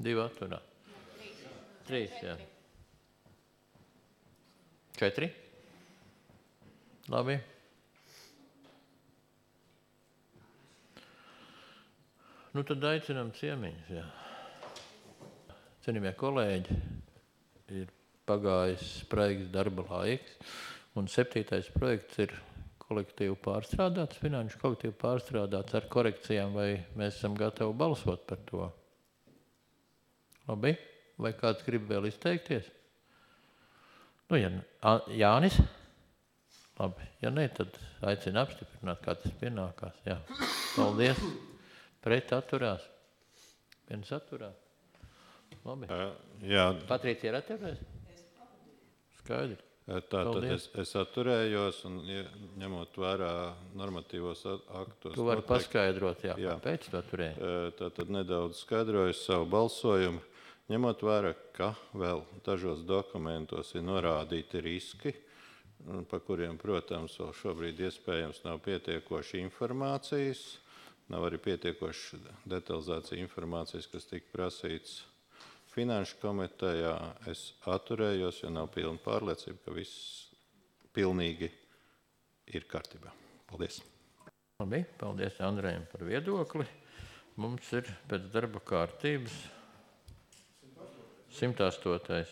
2 atturā. 3, jā. 4. Labi. Nu, tad aicinām ciemiņus, jā. Cienījamie kolēģi, ir pagājis spraigs darba laiks, un 7. projekts ir kolektīvi pārstrādāts, finanšu kolektīvi pārstrādāts ar korekcijām, vai mēs esam gatavi balsot par to? Labi? Vai kāds grib vēl izteikties? Nu, Jānis? Labi. Ja ne, tad aicinu apstiprināt, kā tas pienākās. Jā. Paldies. Pret atturās. Viens atturās. Labi. Jā. Patricija ir atturēs? Skaidri. Tātad es atturējos un ņemot vērā normatīvos aktos. Tu vari paskaidrot, jā, kāpēc tu atturēji. Tātad nedaudz skaidroju savu balsojumu. Ņemot vērā, ka vēl dažos dokumentos ir norādīti riski, par kuriem, protams, vēl šobrīd iespējams nav pietiekoši informācijas, nav arī pietiekoši detalizācija informācijas, kas tika prasīts Finanšu komitejā. Es atturējos, jo nav pilna pārliecība, ka viss pilnīgi ir kārtībā. Paldies. Labi, paldies Andrejam par viedokli. Mums ir pēc darba kārtības 108.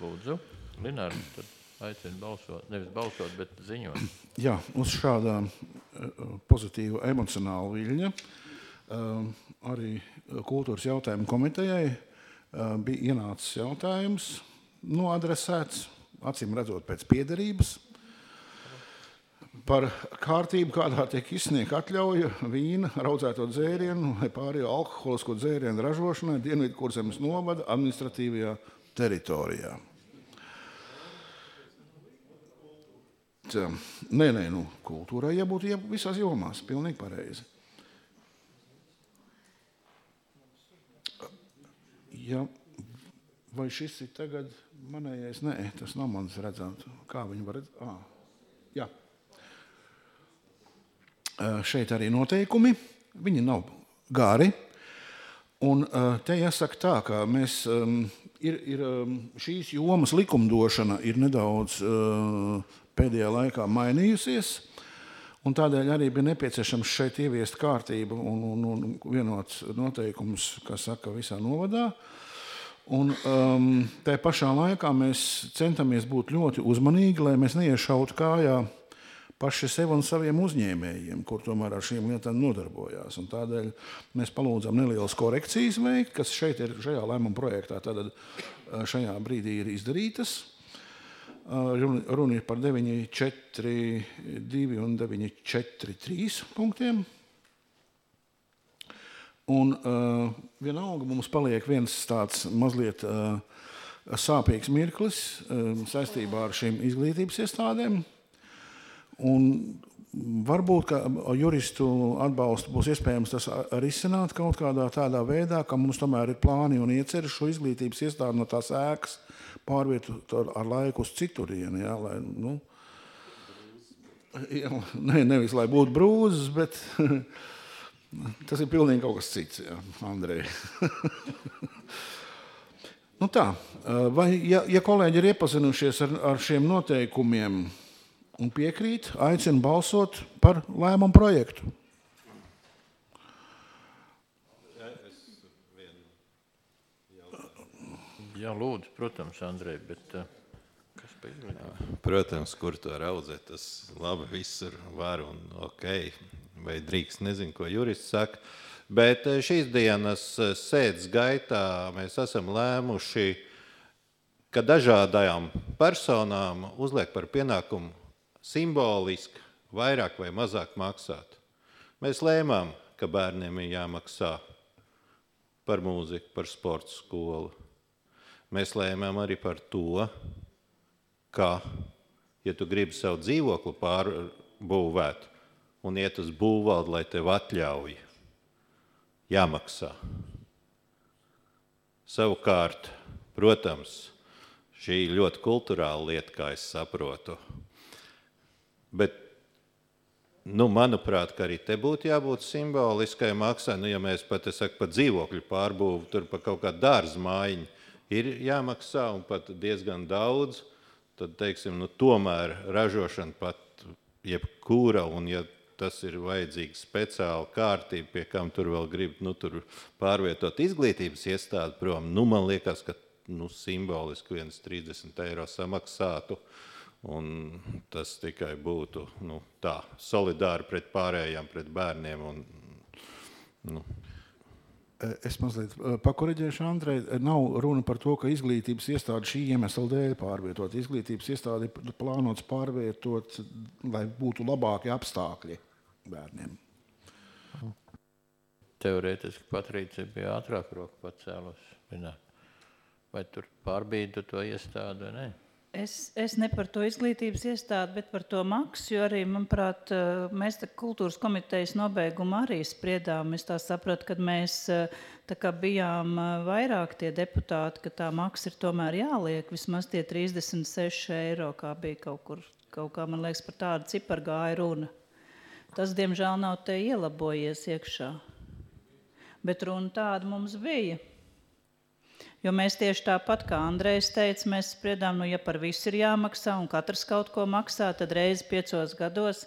Lūdzu, Linārds, tad aicinu balsot, nevis balsot, bet ziņot. Jā, uz šādā pozitīva emocionāla viļņa arī kultūras jautājumu komitejai bija ienācis jautājums, adresēts, acīm redzot pēc piederības, par kārtību, kādā tiek izsniegta atļauja vīna, raudzēto dzērienu vai pārējo alkoholisko dzērienu ražošanai Dienvidkurzemes novada administratīvajā teritorijā. Nē, kultūrai jābūt visās jomās, pilnīgi pareizi. Ja, vai šis ir tagad manējais? Nē, tas nav mans redzams. Kā viņi var redzēt? Jā. Šeit arī noteikumi, viņi nav gari. Un te jāsaka tā, ka mēs ir šīs jomas likumdošana ir nedaudz pēdējā laikā mainījusies, un tādēļ arī bija nepieciešams šeit ieviest kārtību un vienots noteikums, kas saka visā novadā. Un tā pašā laikā mēs centamies būt ļoti uzmanīgi, lai mēs neiešautu kājā paši sev un saviem uzņēmējiem, kur tomēr ar šīm lietām nodarbojās. Un tādēļ mēs palūdzam nelielas korekcijas veikt, kas šeit ir šajā lēmuma projektā, tātad šajā brīdī ir izdarītas. Runa ir par 9.4.2 un 9.4.3 punktiem. Un vienalga mums paliek viens tāds mazliet sāpīgs mirklis saistībā ar šīm izglītības iestādēm. Un varbūt, ka juristu atbalstu būs iespējams tas risināt kaut kādā tādā veidā, ka mums tomēr ir plāni un ieceri šo izglītības iestādi no tās ēkas pārvietot ar laiku uz citurieni, jā, lai, nevis lai būtu brūzes, bet tas ir pilnīgi kaut kas cits, jā, Andrej. Tā, vai, ja kolēģi ir iepazinušies ar šiem noteikumiem un piekrīt, aicinu balsot par lēmumu projektu. Jā, lūdzu, protams, Andrej, bet kas pēc? Protams, kur to raudzēt, tas labi visur var un ok, vai drīkst, nezinu, ko jurists saka, bet šīs dienas sēdes gaitā mēs esam lēmuši, ka dažādajām personām uzliek par pienākumu simboliski vairāk vai mazāk maksāt. Mēs lēmām, ka bērniem ir jāmaksā par mūziku, par sporta skolu. Mēs lēmām arī par to, ka, ja tu gribi savu dzīvokli pārbūvēt un iet uz būvvaldi, lai tev atļauj, jāmaksā. Savukārt, protams, šī ļoti kulturāla lieta, kā es saprotu, bet Manuprāt, ka arī te būtu jābūt simboliskai maksai. Ja mēs pat dzīvokļu pārbūvu, tur pa kaut kādu dārzu mājiņu ir jāmaksā un pat diezgan daudz, tad, teiksim, tomēr ražošana pat jebkura, un ja tas ir vajadzīgs speciāla kārtība, pie kam tur vēl grib tur pārvietot izglītības iestādi prom, man liekas, ka simboliski 30 eiro samaksātu, un tas tikai būtu tā, solidāri pret pārējām, pret bērniem. Es mazliet pakoriģēšu, Andrej. Nav runa par to, ka izglītības iestāde šī iemesla dēļ pārvietot. Izglītības iestāde ir plānots pārvietot, lai būtu labāki apstākļi bērniem. Teorētiski Patricija bija ātrāk roku pacēlus. Vai tur pārbīdu to iestādi vai ne? Es ne par to izglītības iestādi, bet par to maksu, jo arī, manuprāt, mēs kultūras komitejas nobeigumā arī spriedām. Es tā sapratu, kad mēs tā kā bijām vairāk tie deputāti, ka tā maksa ir tomēr jāliek, vismaz tie 36 eiro, kā bija kaut kā, man liekas, par tādu ciparu gāja runa. Tas, diemžēl, nav te ielabojies iekšā. Bet runa tāda mums bija. Jo mēs tieši tāpat, kā Andrejs teica, mēs spriedām, ja par visu ir jāmaksā un katrs kaut ko maksā, tad reizi 5 gados,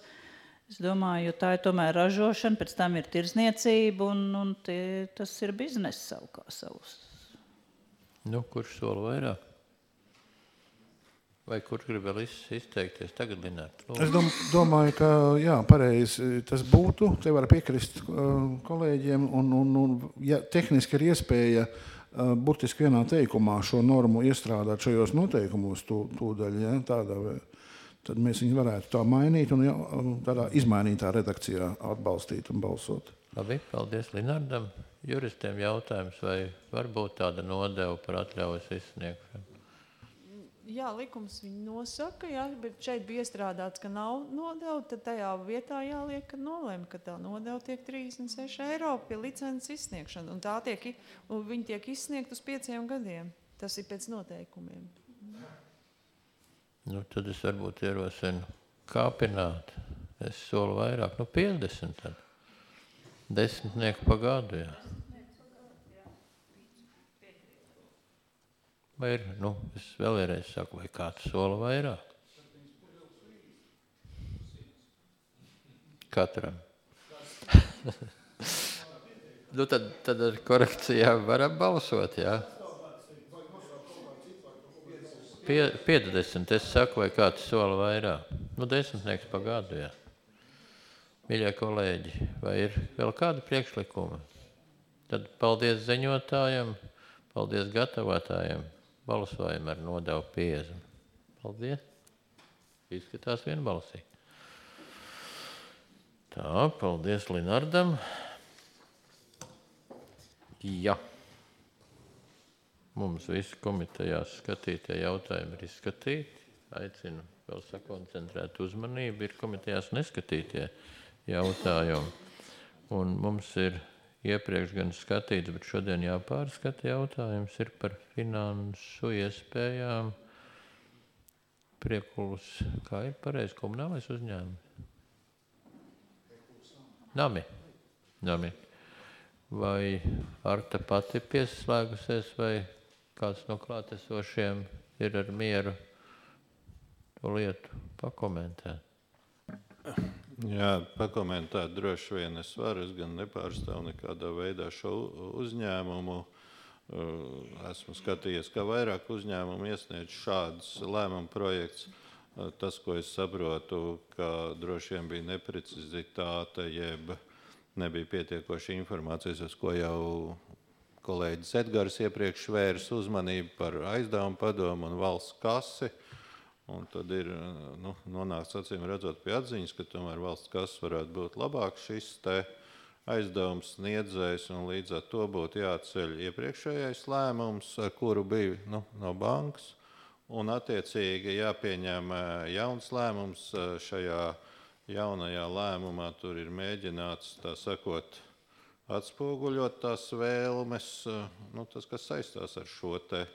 es domāju, jo tā ir tomēr ražošana, pēc tam ir tirzniecība un tas ir bizness savus. Kurš sola vairāk? Vai kurš grib vēl izteikties? Tagad, Linārd. Es domāju, ka jā, pareizi tas būtu. Te var piekrist kolēģiem un ja tehniski ir iespēja burtiski vienā teikumā šo normu iestrādāt šajos noteikumos tūdaļ, ja, tad mēs viņu varētu tā mainīt un tādā izmainītā redakcijā atbalstīt un balsot. Labi, paldies Linardam. Juristiem jautājums, vai var būt tāda nodeva par atļaujas izsniegšanu? Jā, likums viņu nosaka, jā, bet šeit bija iestrādāts, ka nav nodeva, tad tajā vietā jāliek, ka nolēma, ka tā nodeva tiek 36 eiro pie licences izsniegšana, un viņi tiek izsniegt uz 5 gadiem. Tas ir pēc noteikumiem. Tad es varbūt ierosinu kāpināt. Es solu vairāk, 50 tad. 10 pa gadu, jā. Vai ir, es vēlreiz saku, vai kāds sola vairāk? Katram. Tad ar korekcijām varam balsot, jā? 50, es saku, vai kāds sola vairāk? 10 pa gadu, jā. Mīļie kolēģi, vai ir vēl kādi priekšlikumi? Tad paldies ziņotājiem, paldies gatavotājiem. Balsojam ar nodevu 50. Paldies. Izskatās vienbalsīgi. Tā, paldies Linardam. Ja mums visi komitejās skatītie jautājumi ir izskatīti, aicinu vēl sakoncentrēt uzmanību, ir komitejās neskatītie jautājumi. Un mums ir iepriekš gan skatīts, bet šodien jāpārskata jautājums ir par finansu iespējām Priekulus, kā ir pareizi, komunālais uzņēmums? Nami. Vai Arta pati pieslēgusies, vai kāds no klātesošiem ir ar mieru to lietu pakomentēt? Jā, pakomentēt droši vien es varu. Es gan nepārstāvu nekādā veidā šo uzņēmumu. Esmu skatījies, ka vairāk uzņēmumu iesniedz šādus lēmumu projekts. Tas, ko es saprotu, ka droši vien bija neprecizitāte, jeb nebija pietiekoši informācijas, uz ko jau kolēģis Edgars iepriekš vērs uzmanību par aizdevumu padomu un valsts kasi. Un tad ir nonākts acīm redzot pie atziņas, ka tomēr valsts kases varētu būt labāk šis te aizdevums sniedzējs, un līdz ar to būtu jāceļ iepriekšējais lēmums, ar kuru bija no bankas, un attiecīgi jāpieņem jauns lēmums. Šajā jaunajā lēmumā tur ir mēģināts, tā sakot, atspoguļot tās vēlmes, tas, kas saistās ar šo te,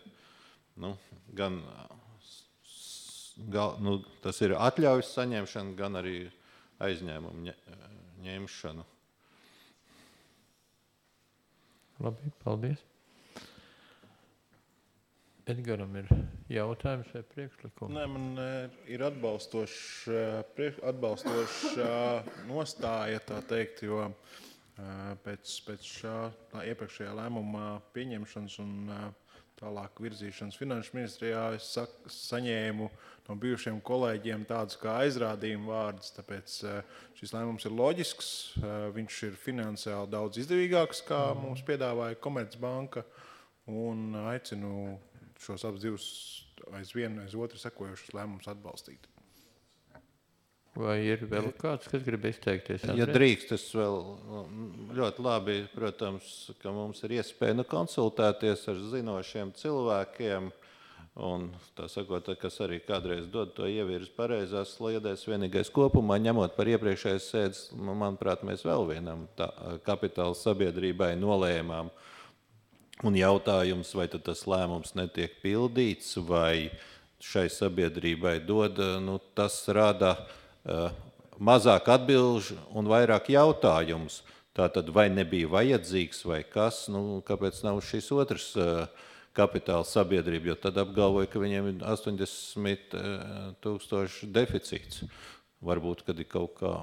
tas ir atļaujas saņemšana, gan arī aizņēmumu ņemšanu. Labi, paldies. Edgaram ir jautājums vai priekšlikums? Nē, man ir atbalstoša nostāja, tā teikt, jo pēc šā iepriekšējā lēmuma pieņemšanas un tālāk virzīšanas finanšu ministrijā es saņēmu no bijušiem kolēģiem tādus kā aizrādījumu vārdus, tāpēc šis lēmums ir loģisks, viņš ir finansiāli daudz izdevīgāks, kā mums piedāvāja Komercbanka, un aicinu šos abus divus aiz otru sekojušus lēmumus atbalstīt. Vai ir vēl kāds, kas grib izteikties? Ja drīkst, es vēl ļoti labi, protams, ka mums ir iespēja konsultēties ar zinošiem cilvēkiem, un tā sakot, kas arī kādreiz dod to ievirzi pareizās sliedēs, vienīgais kopumā, ņemot par iepriekšējais sēdes, manuprāt, mēs vēl vienam kapitāla sabiedrībai nolēmām. Un jautājums, vai tad tas lēmums netiek pildīts, vai šai sabiedrībai dod, tas rada mazāk atbilžu un vairāk jautājumus. Tātad vai nebija vajadzīgs vai kas, kāpēc nav šis otrs kapitāla sabiedrība, jo tad apgalvoja, ka viņiem ir 80 000 deficīts. Varbūt, kad ir kaut kā...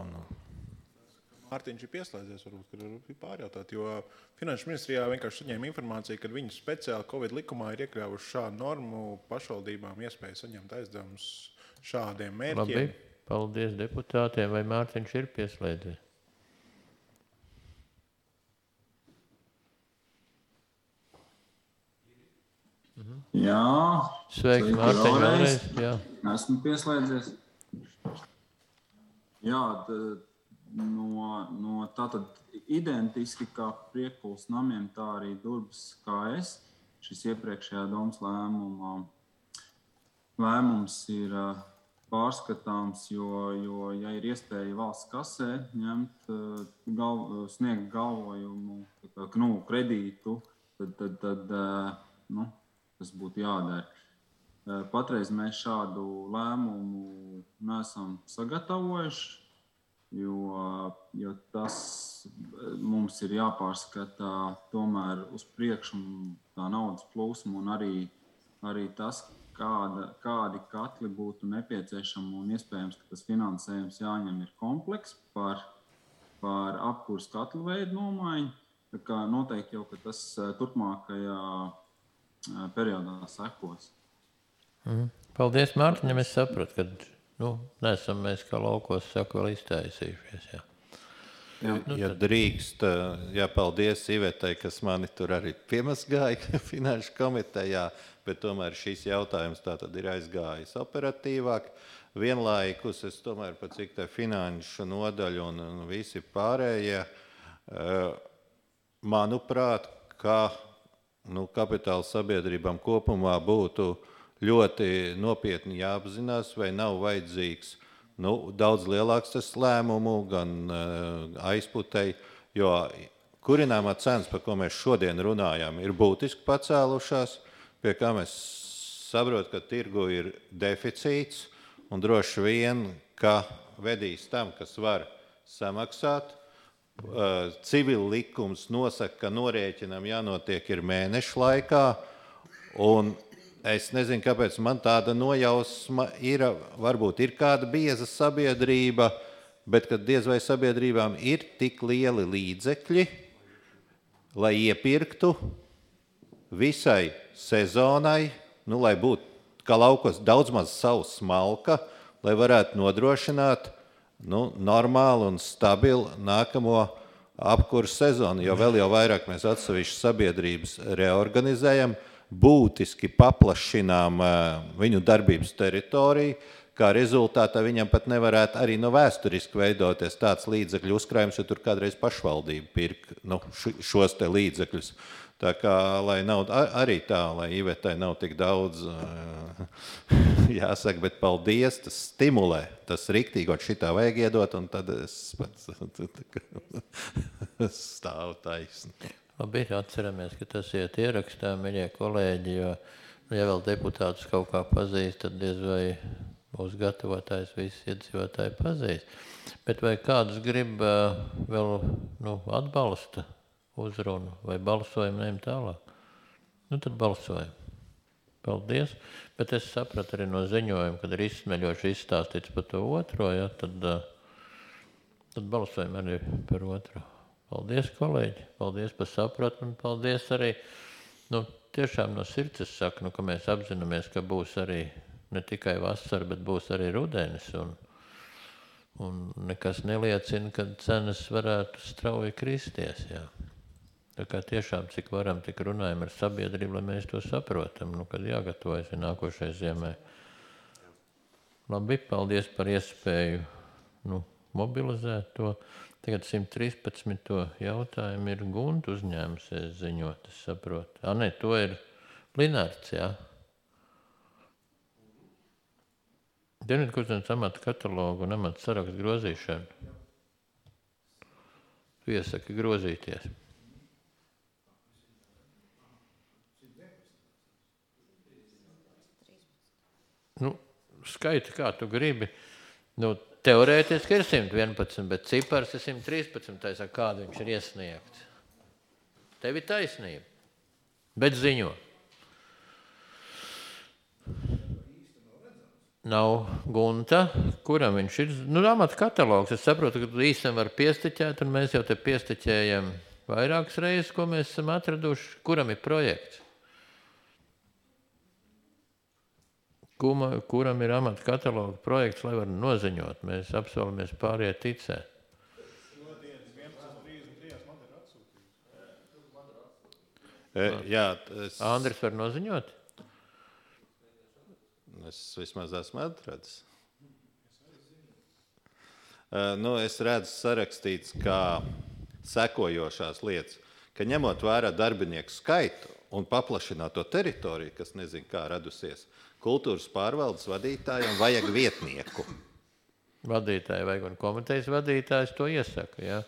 Mārtiņš ir pieslēdzies, varbūt, kad ir pārjautāt, jo Finanšu ministrijā vienkārši saņēma informāciju, ka viņi speciāli Covid likumā ir iekļāvuši šādu normu pašvaldībām iespēju saņemt aizdevumus šādiem mērķiem. Labi, paldies deputātiem, vai Mārtiņš ir pieslēdzies? Jā. Sveiki, Mārtiņ, vēlreiz. Jā. Esmu pieslēdzies. Jā, no tātad identiski kā Priekpuls namiem, tā arī Durbas KS. Šis iepriekšējā domas lēmums ir pārskatāms, jo ja ir iespēja valsts kasē sniegt galvojumu, kredītu, tad tas būtu jādara. Patreiz mēs šādu lēmumu neesam sagatavojuši, jo tas mums ir jāpārskata tomēr uz priekšu tā naudas plūsma un arī tas, kādi katli būtu nepieciešami un iespējams, ka tas finansējums jāņem ir kompleks par apkurs katlu veidu nomaiņu. Tā kā noteikti jau, ka tas turpmākajā periodā sekos. Paldies, Mārtiņam, es sapratu, ka neesam mēs kā laukos saku vēl iztaisījušies. Jā. Ja drīkst, paldies Ivetai, kas mani tur arī piemazgāja Finanšu komitejā, bet tomēr šīs jautājums tātad ir aizgājis operatīvāk. Vienlaikus es tomēr pat cik te finanšu nodaļu un visi pārējie, manuprāt, ka kapitāla sabiedrībām kopumā būtu ļoti nopietni jāapzinās, vai nav vajadzīgs daudz lielāks tas lēmumu, gan aizputei, jo kurināmā cenas, par ko mēs šodien runājam, ir būtiski pacēlušās, pie kā mēs saprotam, ka tirgu ir deficīts un droši vien, ka vedīs tam, kas var samaksāt. Civil likums nosaka, ka norēķinam jānotiek ir mēnešu laikā, un es nezinu, kāpēc man tāda nojausma ir, varbūt ir kāda bieza sabiedrība, bet kad diez vai sabiedrībām ir tik lieli līdzekļi, lai iepirktu visai sezonai, lai būtu kā laukos daudz maz savs smalka, lai varētu nodrošināt normālu un stabilu nākamo apkuru sezonu, jo vēl jau vairāk mēs atsevišķas sabiedrības reorganizējam, būtiski paplašinām viņu darbības teritoriju, kā rezultātā viņam pat nevarētu arī vēsturiski veidoties tāds līdzekļu uzkrājums, jo tur kādreiz pašvaldība pirka šos te līdzekļus. Tā kā, lai nav arī tā, lai Ivetai nav tik daudz jāsaka, bet paldies, tas stimulē, tas riktīgot šitā vajag iedot, un tad es pats stāvu taisni. Labi, atceramies, ka tas iet ierakstā, mīļie kolēģi, jo, ja vēl deputātus kaut kā pazīst, tad diez vai būs gatavotājs, visi iedzīvotāji pazīst. Bet vai kāds grib vēl atbalsta uzrunu vai balsojumu ejam tālāk? Tad balsojam. Paldies. Bet es sapratu arī no ziņojuma, kad ir izsmeļoši izstāstīts par to otro, ja, tad balsojam arī par otro. Paldies, kolēģi. Paldies par sapratni un paldies arī, tiešām no sirds es saku, ka mēs apzināmies, ka būs arī ne tikai vasara, bet būs arī rudenis un nekas neliecina, ka cenas varētu strauji kristies, jā. Tā kā tiešām, cik varam, tik runājam ar sabiedrību, lai mēs to saprotam, kad jāgatavojas nākošai ziemai. Labi, paldies par iespēju mobilizēt to. Tagad 113. jautājumu ir Gunta uzņēmusies ziņot, es saprotu. Nē, to ir Linārds, jā. Dienvidkurzemes amata katalogu un amata sarakstu grozīšanu. Tu iesaki grozīties. Skaiti, kā tu gribi. Teorētiski ir 111, bet cipars ir 113. Tā saka, kādu viņš ir iesniegts. Tev ir taisnība, bet ziņo. Nav Gunta, kuram viņš ir. Amata katalogs. Es saprotu, ka tu īstam var piestiķēt, un mēs jau te piestiķējam vairākas reizes, ko mēs esam atraduši. Kuram ir projekts? Kuram ir amata kataloga projekts, lai var noziņot. Mēs apsolamies pārējie ticēt. Andris var noziņot? Es vismaz esmu atradis. Es redzu sarakstīts, kā sekojošās lietas, ka ņemot vērā darbinieku skaitu un paplašināto teritoriju, kas nezinu, kā radusies, kultūras pārvaldes vadītājiem vajag vietnieku. Vadītāji vajag un komitejas vadītājs to iesaka, jā?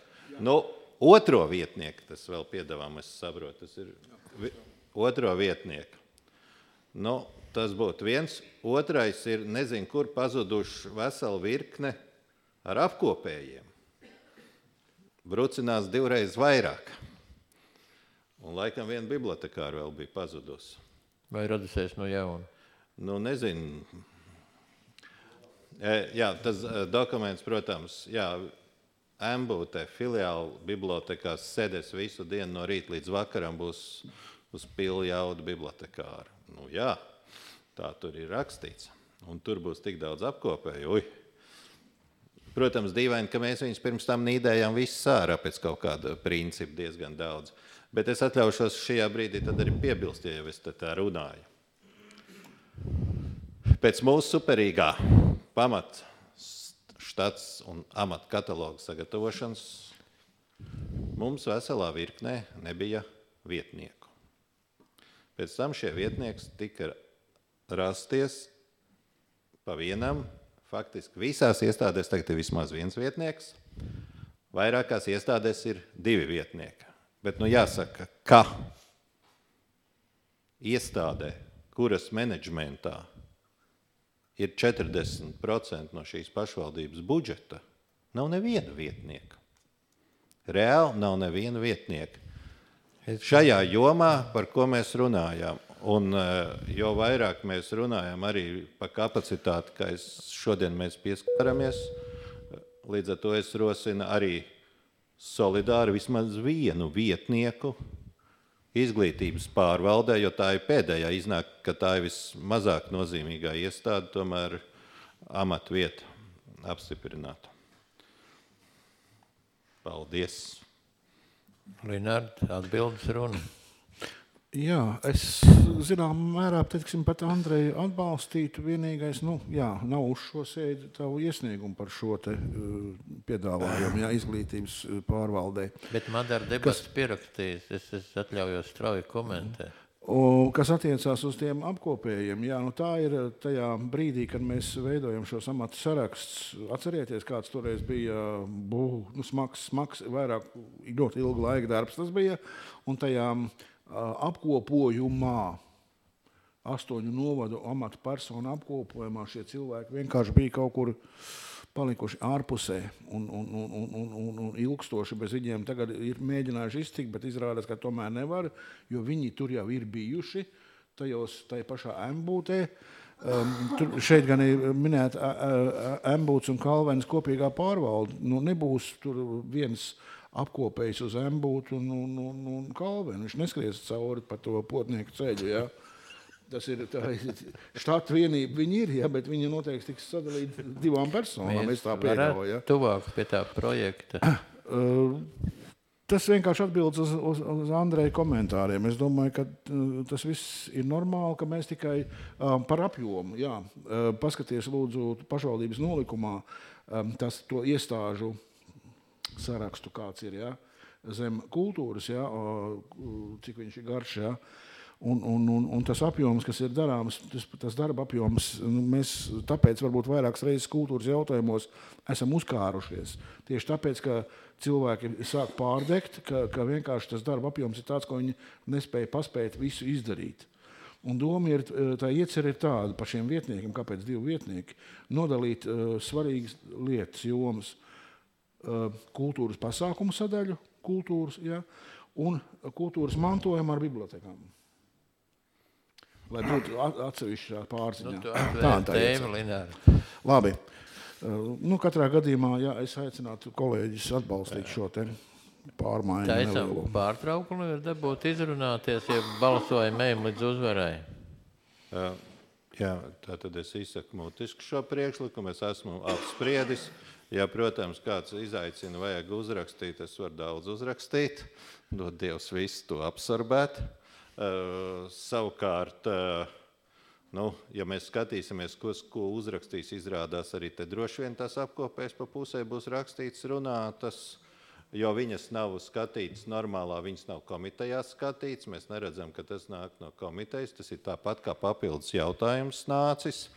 Otro vietnieku tas vēl piedāvām, es saprotu. Tas ir otro vietnieku. Tas būtu viens. Otrais ir, nezinu, kur pazuduši vesela virkne ar apkopējiem. Brucinās 2 reizes vairāk. Un laikam viena bibliotekāra vēl bija pazudusi. Vai radusies no jauna? Nezinu. Jā, tas dokuments, protams, MBUT filiāla bibliotekās sēdēs visu dienu no rīta līdz vakaram būs uz pilnu jaudu bibliotekāra. Jā, tā tur ir rakstīts. Un tur būs tik daudz apkopēju. Protams, dīvaini, ka mēs viņus pirms tam nīdējām visu sārā pēc kaut kāda principa diezgan daudz. Bet es atļaušos šajā brīdī tad arī piebilst, ja jau es tā runāju. Pēc mūsu superīgā pamat štats un amata kataloga sagatavošanas mums veselā virknē nebija vietnieku. Pēc tam šie vietnieki tika rasties pa vienam, faktiski visās iestādēs tagad ir vismaz viens vietnieks, vairākās iestādēs ir 2 vietnieki. Bet jāsaka, ka iestādē, kuras menedžmentā ir 40% no šīs pašvaldības budžeta, nav neviena vietnieka. Reāli nav neviena vietnieka. Šajā jomā, par ko mēs runājām, un jo vairāk mēs runājam arī par kapacitāti, kā šodien mēs pieskaramies, līdz ar to es rosinu arī solidāri vismaz vienu vietnieku izglītības pārvaldē, jo tā ir pēdējā iznāk, ka tā ir vismazāk nozīmīgā iestāde, tomēr amatvieta apstiprināta. Paldies. Linārd, atbildes runa. Jā, es zinām mērā, teiksim, pat Andreju atbalstītu. Vienīgais, nav uz šo sēdi tavu iesniegumu par šo te piedāvājumu, izglītības pārvaldē. Bet man ar debats pierakstījis, es atļaujos strauji komentēt. Kas attiecās uz tiem apkopējiem, tā ir tajā brīdī, kad mēs veidojam šo amatu saraksts. Atcerieties, kāds toreiz bija smags, vairāk ļoti ilgu laiku darbs tas bija, un tajā apkopojumā 8 novadu amatu personu apkopojumā šie cilvēki vienkārši bija kaut kur palikuši ārpusē un ilgstoši bez viņiem. Tagad ir mēģinājuši iztikt, bet izrādās, ka tomēr nevar, jo viņi tur jau ir bijuši, tai pašā Embūtē. Šeit gan ir minēta Embūts un Kalvenes kopīgā pārvalde. Nebūs tur viens apkopējis uz Embūtu un Kalvenu. Viņš neskries cauri pa to potnieku ceļu, ja. Tas ir štata vienība, viņi ir, ja, bet viņi noteikti tiks sadalīti 2 personām. Es tā pieļauju, ja. Tuvāk pie tā projekta. Tas vienkārši atbildes uz Andreja komentāriem. Es domāju, ka tas viss ir normāli, ka mēs tikai par apjomu, jā, paskaties lūdzu pašvaldības nolikumā, to iestāžu sarakstu kāds ir, jā, zem kultūras, jā, cik viņš ir garš, jā. Un tas apjoms, kas ir darāms, tas darba apjoms, mēs tāpēc varbūt vairākas reizes kultūras jautājumos esam uzkārušies. Tieši tāpēc, ka cilvēki sāk pārdegt, ka vienkārši tas darba apjoms ir tāds, ko viņi nespēja paspēt visu izdarīt. Un doma ir, tā iecer ir tāda par šiem vietniekiem, kāpēc 2 vietnieki, nodalīt svarīgas lietas, jomas, kultūras pasākumu sadaļu, kultūras, ja, un kultūras mantojumu ar bibliotekām. Lai būtu atsevišķā pārziņā. Tā tēma, Lināra. Labi. Katrā gadījumā, jā, es aicinātu kolēģis atbalstīt šo te pārmaiņu. Taisam pārtraukumi var dabūt izrunāties, ja balsojam ejam līdz uzvarai. Jā, tātad es izsaku mutisku šo priekšlikumu, es esmu apspriedis. Ja, protams, kāds izaicina, vajag uzrakstīt, es varu daudz uzrakstīt, dod Dievs visu to absorbēt. Savukārt, ja mēs skatīsimies, ko uzrakstīs, izrādās arī te droši vien tās apkopēs pa pusē būs rakstīts runātas, jo viņas nav skatītas normālā, viņas nav komitejās skatīts, mēs neredzam, ka tas nāk no komitejas, tas ir tāpat kā papildus jautājums nācis,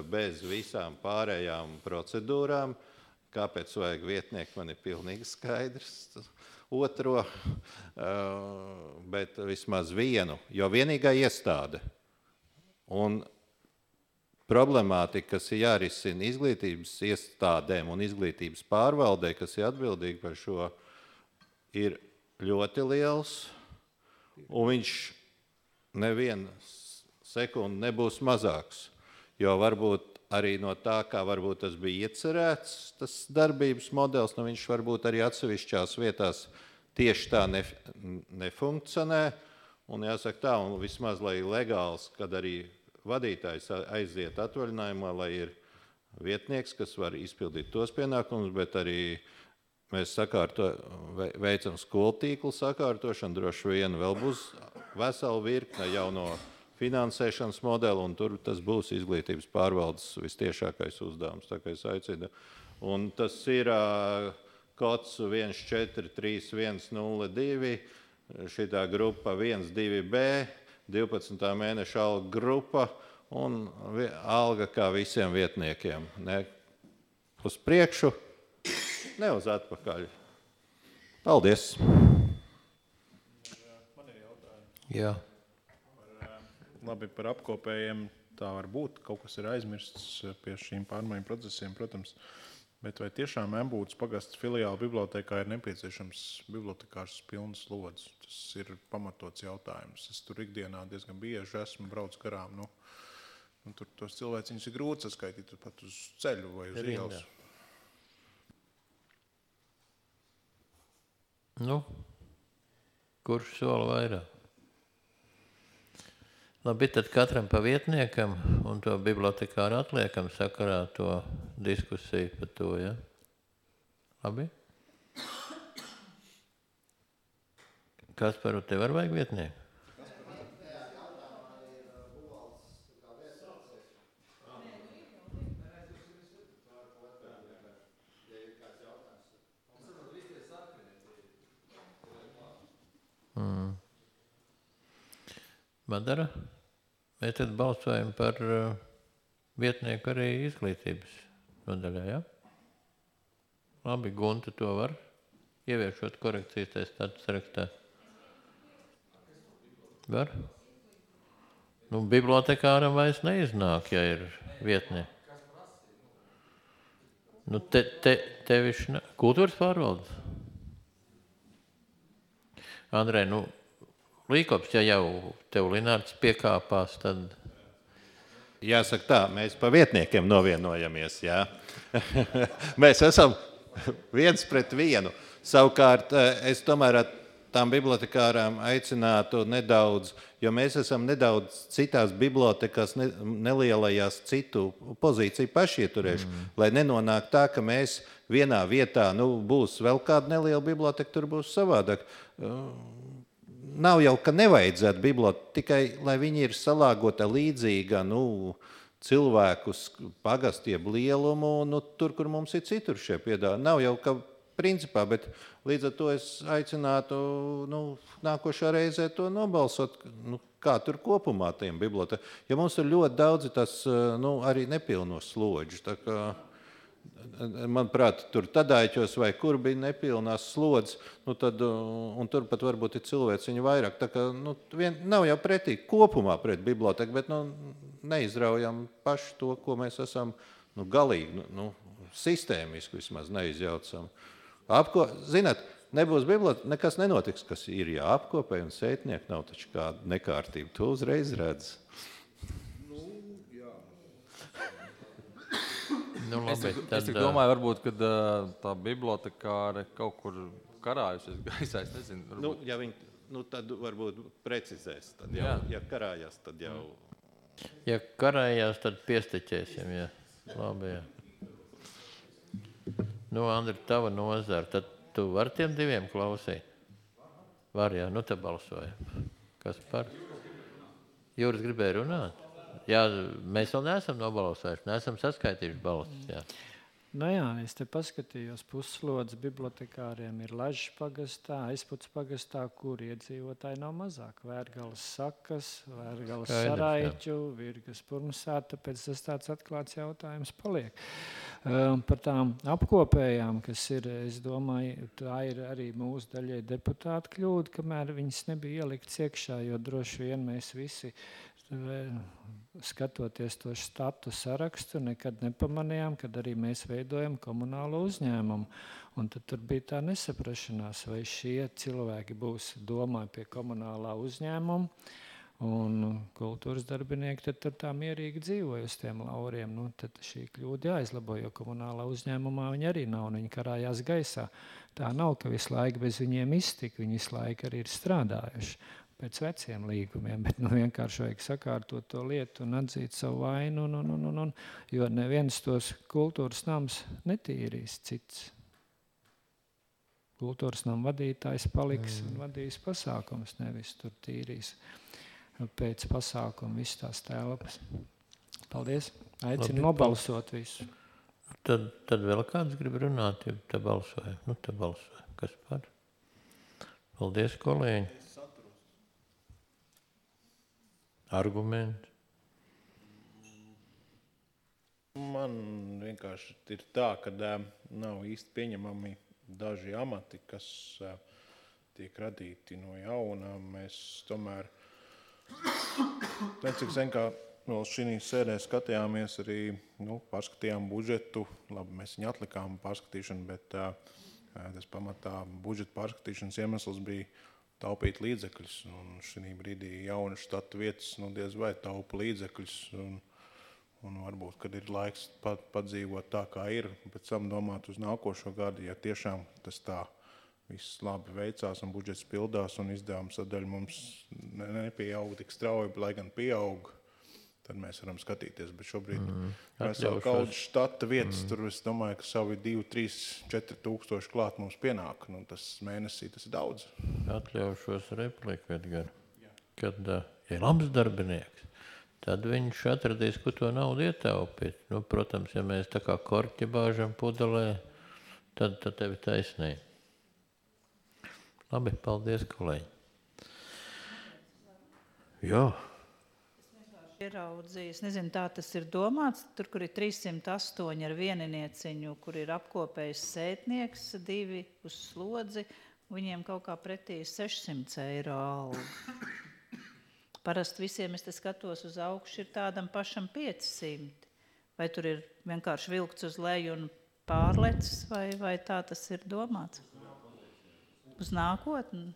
bez visām pārējām procedūrām. Kāpēc vajag vietnieku, man ir pilnīgi skaidrs. Otro, bet vismaz vienu, jo vienīgā iestāde un problemātika, kas ir jārisina izglītības iestādēm un izglītības pārvaldē, kas ir atbildīgi par šo, ir ļoti liels, un viņš nevienu sekundi nebūs mazāks, jo varbūt arī no tā, kā varbūt tas bija iecerēts, tas darbības modelis, viņš varbūt arī atsevišķās vietās tieši tā nefunkcionē. Un jāsaka tā, un vismaz, lai ir legāls, kad arī vadītājs aiziet atvaļinājumā, lai ir vietnieks, kas var izpildīt tos pienākumus, bet arī mēs veicam skolu tīklu sakārtošanu, droši vien vēl būs vesela virkne jauno finansēšanas modeli, un tur tas būs izglītības pārvaldes vistiešākais uzdevums, tā kā es aicinu. Un tas ir kods 143102, šitā grupa 12B, 12. mēneša alga grupa un alga kā visiem vietniekiem. Ne uz priekšu, ne uz atpakaļ. Paldies! Man ir jautājums. Jā. Labi, par apkopējiem tā var būt, kaut kas ir aizmirsts pie šīm pārmaiņu procesiem, protams, bet vai tiešām Embūtas pagasts filiāla bibliotekā ir nepieciešams bibliotekārs pilns lods? Tas ir pamatots jautājums. Es tur ikdienā diezgan bieži esmu brauc garām, tur tos cilvēciņus ir grūti saskaitīt pat uz ceļu vai uz ielas. Kurš sola vairāk? Labi, tad katram pa vietniekam un to bibliotekāru atliekam sakarā to diskusiju par to, ja? Labi? Kasparu, tev var vajag vietnieku? Madara, mēs tad balsojam par vietnieku arī izglītības nodaļā, ja? Labi, Gunta to var ieviešot korekcijas tajā status sarakstā. Var? Nu, bibliotekāram vairs neiznāk, ja ir vietnie. Nu, tevišķi kultūras pārvaldes. Andrej, nu, Līkops, ja jau tev Linārds piekāpās, tad... Jāsaka tā, mēs pa vietniekiem novienojamies, jā. Mēs esam 1-1. Savukārt, es tomēr tām bibliotekārām aicinātu nedaudz, jo mēs esam nedaudz citās bibliotekās, nelielajās citu pozīciju paši ieturējuši, lai nenonāk tā, ka mēs vienā vietā, būs vēl kāda neliela biblioteka, tur būs savādāk. Nav jau, ka nevajadzētu biblioteka, tikai, lai viņi ir salāgota līdzīga, cilvēkus pagastieb lielumu, tur, kur mums ir citur šie piedāvājumi. Nav jau, ka principā, bet līdz ar to es aicinātu, nākošā reizē to nobalsot, kā tur kopumā tiem biblioteka. Jo mums ir ļoti daudzi tas, arī nepilnos slodžus, tā kā, manuprāt, tur Tadaiķos vai kur bija nepilnās slodzes, un tur pat varbūt ir cilvēciņi vairāk. Tā kā, nav jau pretī kopumā pret biblioteku, bet neizraujam paši to, ko mēs esam galīgi, sistēmiski vismaz neizjaucam. Zināt, nebūs biblioteka, nekas nenotiks, kas ir jāapkopē, un sētnieki nav taču kāda nekārtība. To uzreiz redz. Es domāju, varbūt, kad tā bibliotekāre kaut kur karājusies gaisā, es nezinu. Ja viņi, tad varbūt precizēs. Tad jau, ja karājās, tad jau... Ja karājās, tad piesteķēsim, jā. Labi, jā. Andri, tava nozara, tad tu vari tiem diviem klausīt? Var, jā, te balsojam. Kas par? Jūras gribēja runāt? Jā, mēs vēl neesam nobalsojuši, neesam saskaitījuši balsis, jā. Es te paskatījos, pusslodzes bibliotekāriem ir Lažas pagastā, Aizputs pagastā, kur iedzīvotāji nav mazāk. Vērgalas Sakas, Vērgalas Saraiķu, Virgas Purmsā, tāpēc tas tāds atklāts jautājums paliek. Par tām apkopējām, kas ir, es domāju, tā ir arī mūsu daļai deputāta kļūda, kamēr viņas nebija ielikts iekšā, jo droši vien mēs visi skatoties to štatu sarakstu, nekad nepamanījām, kad arī mēs veidojam komunālo uzņēmumu. Un tad tur bija tā nesaprašanās, vai šie cilvēki būs domāti pie komunālā uzņēmuma, un kultūras darbinieki tad tur tā mierīgi dzīvoja uz tiem lauriem. Tad šī kļūda jāizlabo, jo komunālā uzņēmumā viņi arī nav, un viņi karājās gaisā. Tā nav, ka visu laiku bez viņiem iztika, viņi visu laiku arī ir strādājuši pēc veciem līgumiem, bet vienkārši vajag sakārtot to lietu un atzīt savu vainu, jo neviens tos kultūras nams netīrīs cits. Kultūras nama vadītājs paliks un vadīs pasākums, nevis tur tīrīs pēc pasākuma visu tās telpas. Paldies. Aicinu nobalsot visu. Tad vēl kāds grib runāt, ja te balsoja. Te balsoja. Kas par? Paldies, kolēģi. Argumenti? Man vienkārši ir tā, ka nav īsti pieņemami daži amati, kas tiek radīti no jauna. Mēs tomēr, cik sen kā vēl šī sēdē skatījāmies arī, pārskatījām budžetu. Labi, mēs viņu atlikām pārskatīšanu, bet tas pamatā budžeta pārskatīšanas iemesls bija taupīt līdzekļus, un šī brīdī jauna štata vietas diez vai taupa līdzekļus, un varbūt, kad ir laiks padzīvot tā, kā ir, pēc tam domāt uz nākošo gadu, ja tiešām tas tā viss labi veicās un budžets pildās un izdevuma sadaļa mums nepieaug tik strauji, lai gan pieaug, tad mēs varam skatīties, bet šobrīd mēs savu kaudu štata vietas, tur es domāju, ka savi 2, 3, 4 tūkstoši klāt mums pienāk, tas mēnesī tas ir daudz. Atļaušos repliku, Edgar, kad ir labs darbinieks, tad viņš atradīs, ko to naudu ietaupīt. Protams, ja mēs tā kā korķi bāžam pudelē, tad tevi taisnība. Labi, paldies, kolēģi. Jā. Ieraudzījis, nezinu, tā tas ir domāts, tur, kur ir 308 ar vieninieciņu, kur ir apkopējis sētnieks, 2 uz slodzi, viņiem kaut kā pretī 600 eiro alga. Parasti visiem es te skatos uz augšu, ir tādam pašam 500. Vai tur ir vienkārši vilkts uz leju un pārlecis, vai tā tas ir domāts? Uz nākotni?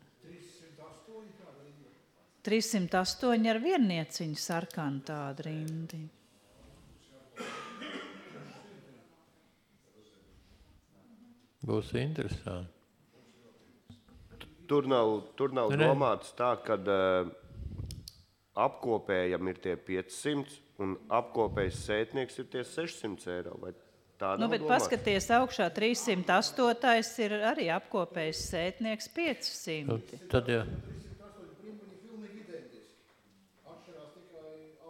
308 ar viennieciņu sarkanu tādu rindi. Būs interesanti. Tur nav domāts tā, kad apkopējam ir tie 500 un apkopējs sētnieks ir tie 600 eiro. Vai tā nav bet domāts? paskaties augšā 308 ir arī apkopējs sētnieks 500. Tad, ja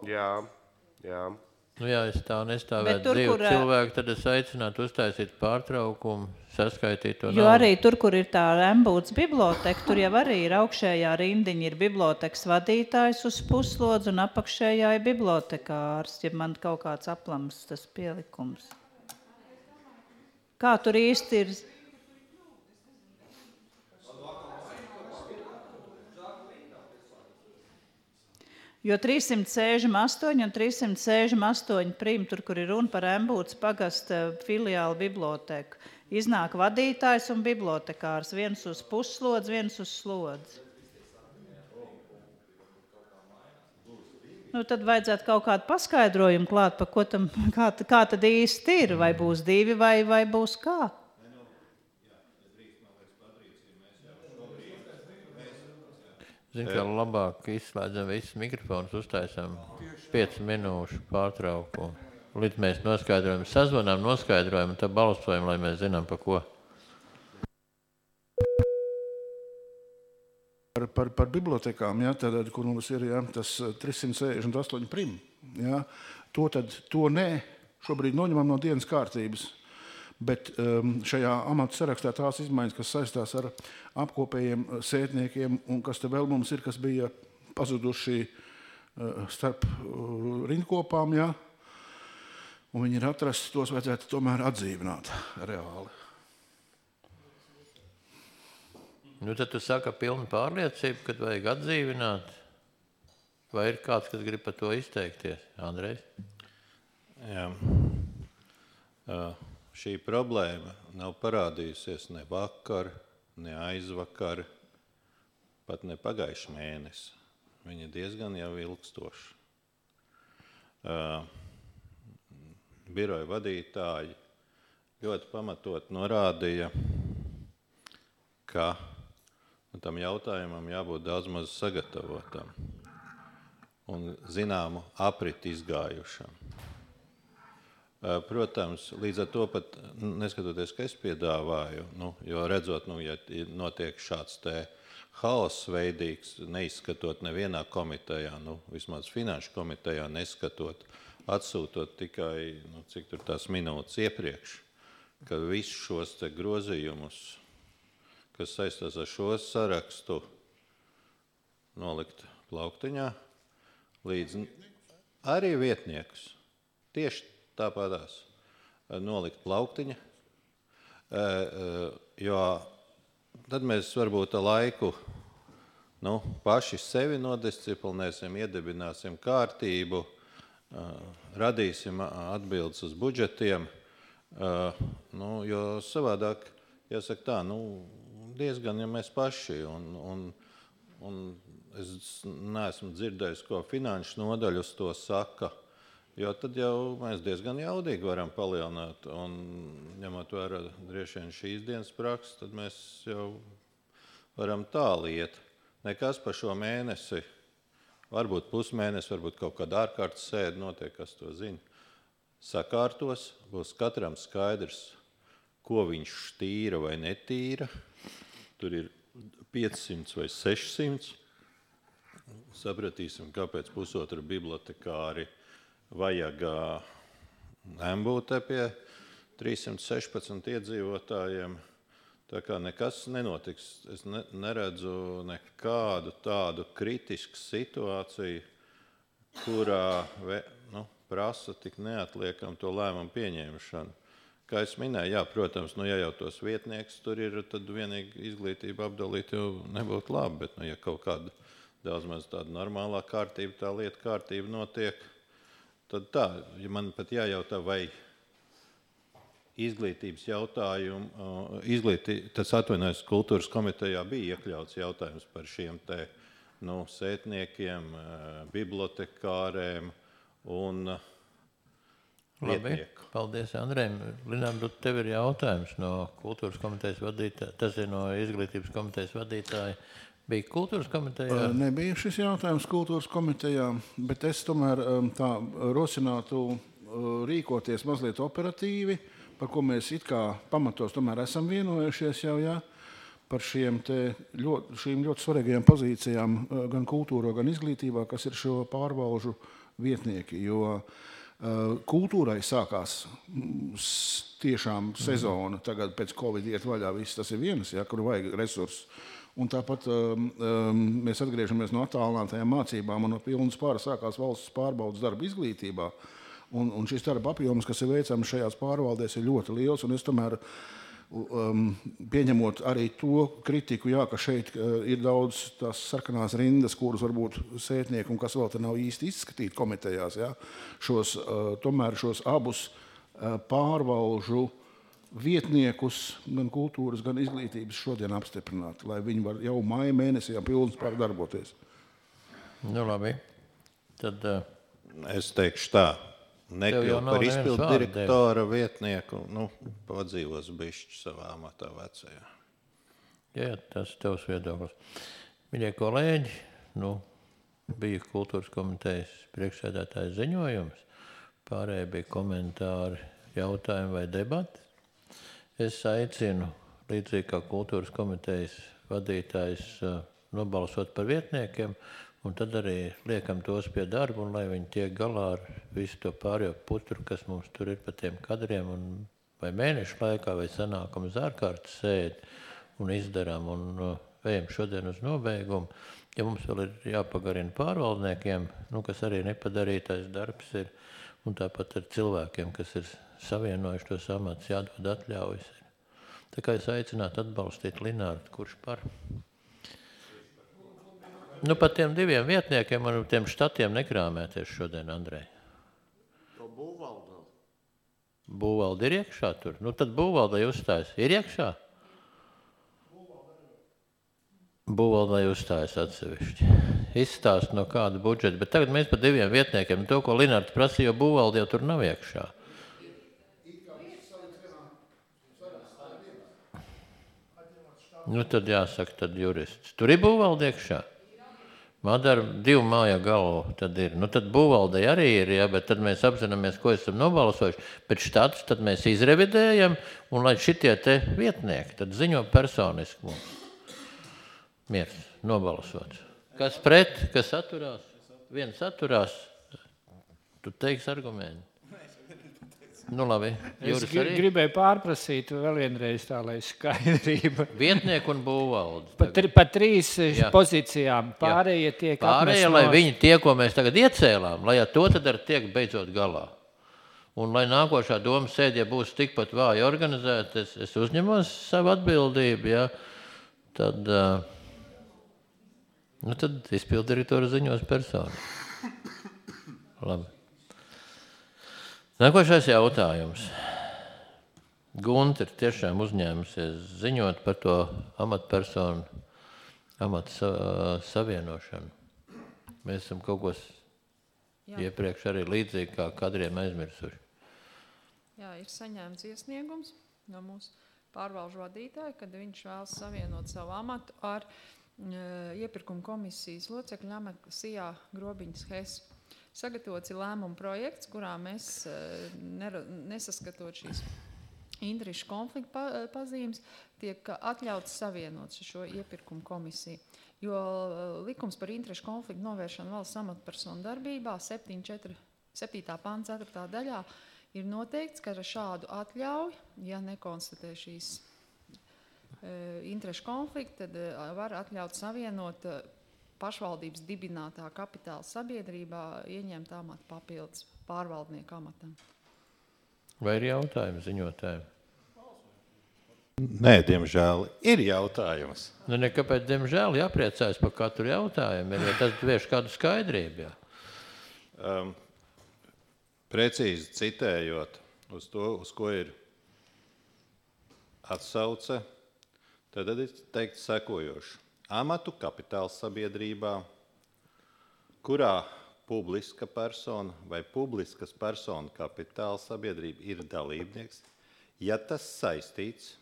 Jā. Nu jā, es tā nestāvētu dzīvu cilvēku, tad es aicinātu uztaisīt pārtraukumu, saskaitīt to naudu. Jo arī tur, kur ir tā Rembūts biblioteka, tur jau arī ir augšējā rindiņa, ir bibliotekas vadītājs uz puslodzi un apakšējā ir bibliotekārs, ja man kaut kāds aplams tas pielikums. Kā tur īsti ir? Jo 368 un 368 prim, tur, kur ir runa par Rembūtas pagasta filiālu biblioteku, iznāk vadītājs un bibliotekārs, viens uz puslodzi, viens uz slodzi. Nu, tad vajadzētu kaut kādu paskaidrojumu klāt, par ko tam, kā tad īsti ir, vai būs divi, vai būs kā. Zinu, ka labāk izslēdzam visus mikrofonus, uztaisām 5 minūšu pārtraukumu. Līdz mēs noskaidrojam, sazvanām, noskaidrojam un tad balsojam, lai mēs zinām, par ko. Par bibliotekām, ja, tad, kur mums ir ja, tas 368 prim, ja, to nē, šobrīd noņemam no dienas kārtības. Bet šajā amata sarakstā tās izmaiņas, kas saistās ar apkopējiem sētniekiem un kas te vēl mums ir, kas bija pazuduši starp rindkopām, ja, un viņi ir atrasti, tos vajadzētu tomēr atdzīvināt reāli. Nu, tad tu saka pilnu pārliecību, kad vajag atdzīvināt? Vai ir kāds, kas grib par to izteikties? Andrejs? Jā. Šī problēma nav parādījusies ne vakar, ne aizvakar, pat ne pagājuši mēnesi. Viņa diezgan jau ilgstoša. Biroja vadītāji ļoti pamatot norādīja, ka tam jautājumam jābūt daudz maz sagatavotam un zināmu apriti izgājušam. Protams, līdz ar to pat neskatoties, ka es piedāvāju, jo redzot, ja notiek šāds te haoss veidīgs, neizskatot nevienā komitejā, vismaz finanšu komitejā neskatot, atsūtot tikai, cik tur tās minūtes iepriekš, ka visus šos te grozījumus, kas saistās ar šo sarakstu, nolikt plauktiņā, līdz arī vietniekus, tieši tāpatās nolikt plauktiņa, jo tad mēs varbūt ar laiku paši sevi nodisciplinēsim, iedibināsim kārtību, radīsim atbildes uz budžetiem, jo savādāk, jāsaka tā, diezgan, ja mēs paši, un es neesmu dzirdējis, ko finanšu nodaļa uz to saka, jo tad jau mēs diezgan jaudīgi varam palielināt, un ņemot vērā droši vien šīs dienas praksi, tad mēs jau varam tālu iet. Nekas par šo mēnesi, varbūt pusmēnesi, varbūt kaut kāda ārkārtas sēde notiek, kas to zina. Sakārtos, būs katram skaidrs, ko viņš štīra vai netīra. Tur ir 500 vai 600. Sapratīsim, kāpēc pusotra bibliotekāri vajag Rembūtē pie 316 iedzīvotājiem. Tā kā nekas nenotiks. Es neredzu nekādu tādu kritisku situāciju, kurā prasa tik neatliekam to lēmumu pieņemšanu. Kā es minēju, jā, protams, ja jau tos vietnieks tur ir, tad vienīgi izglītība apdalīt jau nebūtu labi, bet ja kaut kāda daudz maz tāda normālā kārtība, tā lieta kārtība notiek. Tad tā, ja man pat jājautā, vai izglītības jautājumu, tas atvainojas kultūras komitejā bija iekļauts jautājums par šiem te sētniekiem, bibliotekārēm un vietnieku. Labi, paldies Andrejam. Linārd, tev ir jautājums no kultūras komitejas vadītāja, tas ir no izglītības komitejas vadītāja. Bija kultūras komitejā? Nebija šis jautājums kultūras komitejā, bet es tomēr tā rosinātu rīkoties mazliet operatīvi, par ko mēs it kā pamatos tomēr esam vienojušies jau, par šīm ļoti svarīgajām pozīcijām gan kultūrā, gan izglītībā, kas ir šo pārvalžu vietnieki, jo kultūrai sākās tiešām sezona, tagad pēc Covid iet vaļā, viss tas ir viens, kur vajag resursus. Un tāpat mēs atgriežamies no attālinātajām mācībām un no pilnas pāra sākās valsts pārbaudas darba izglītībā. Un šis darba apjoms, kas ir veicams šajās pārvaldēs, ir ļoti liels. Un es tomēr pieņemot arī to kritiku, ka šeit ir daudz tās sarkanās rindas, kuras varbūt sētnieki un kas vēl te nav īsti izskatīti komitejās, tomēr šos abus pārvalžu vietniekus, gan kultūras, gan izglītības šodien apstiprināt, lai viņi var jau maija mēnesī pilns pār darboties. Nu, labi. Tad es teikšu tā, nekļūt par izpildu direktora vietnieku, padzīvos bišķi savā amatā vecajā. Jā, tas ir tavs viedoklis. Mīļie kolēģi, bija kultūras komitejas priekšsēdētājas ziņojums, pārējie bija komentāri, jautājumi vai debati. Es aicinu, līdzīgi kā kultūras komitejas vadītājs, nobalsot par vietniekiem, un tad arī liekam tos pie darba, un lai viņi tiek galā ar visu to pārējo putru, kas mums tur ir pa tiem kadriem, un vai mēnešu laikā, vai sanākam uz ārkārtas sēdi, un izdarām, un ejam šodien uz nobeigumu. Ja mums vēl ir jāpagarina pārvaldniekiem, kas arī nepadarītais darbs ir, un tāpat ar cilvēkiem, kas ir savienojuši tos amatus, jādod atļaujas. Tā kā es aicinātu atbalstīt Linārdu, kurš par. Par tiem diviem vietniekiem un tiem štatiem nekrāmēties šodien, Andrej. To būvvaldu. Būvvalda ir iekšā tur? Tad būvvaldai uzstājas. Ir iekšā? Būvvaldai uzstājas atsevišķi. Izstāst no kāda budžeta, bet tagad mēs par diviem vietniekiem, to, ko Linārds prasīja, jo būvvalda jau tur nav iekšā. Tad jāsaka, tad jurists. Tur ir būvvalde iekšā. Madara 2 mājā galvu tad ir. Tad būvvaldei arī ir, bet tad mēs apzināmies, ko esam nobalsojuši. Pēc štātus tad mēs izrevidējam, un lai šitie te vietnieki, tad ziņo personiski mums. Miers, nobalsots. Kas pret, kas atturās? Viens atturās. Tu teiksi argumenti. Labi. Es gribēju pārprasīt vēl vienreiz tā, lai skaidrība. Vietnieku un būvvaldi. Pa 3 pozīcijām pārējie tiek pārējie, lai viņi tie, ko mēs tagad iecēlām, lai ar to tad ar tiek beidzot galā. Un lai nākošā doma sēdē būs tikpat vāji organizēta, es uzņemos savu atbildību, tad izpilddirektora ziņos personu. Labi. Nākošais jautājums. Gunter tiešām uzņēmusies ziņot par to amatpersonu, amatu savienošanu. Mēs esam kaut ko iepriekš arī līdzīgi kā kadriem aizmirsuši. Jā, ir saņēmts iesniegums no mūsu pārvalžu vadītāja, kad viņš vēlas savienot savu amatu ar iepirkuma komisijas locekļu amatu Sijā Grobiņas Hes. Sagatavots ir lēmuma projekts, kurā mēs, nesaskatot šīs interešu konflikta pazīmes, tiek atļauts savienot šo iepirkuma komisiju. Jo likums par interešu konfliktu novēršanu valsts amatpersonu darbībā 7. pāns 4. daļā ir noteikts, ka ar šādu atļauju, ja nekonstatē šīs interešu konfliktu, tad var atļaut savienot pašvaldības dibinātā kapitāla sabiedrībā ieņemt amatu papildus pārvaldnieku amatam. Vai ir jautājumi ziņotājiem? Nē, diemžēl ir jautājums. Nu, nekāpēc, diemžēl, jāpriecājas par katru jautājumu, jo tas vieš kādu skaidrību. Precīzi citējot uz to, uz ko ir atsauce, tad ir teikt sekojoši. Amatu kapitāla sabiedrībā, kurā publiska persona vai publiskas persona kapitāla sabiedrība ir dalībnieks, ja tas saistīts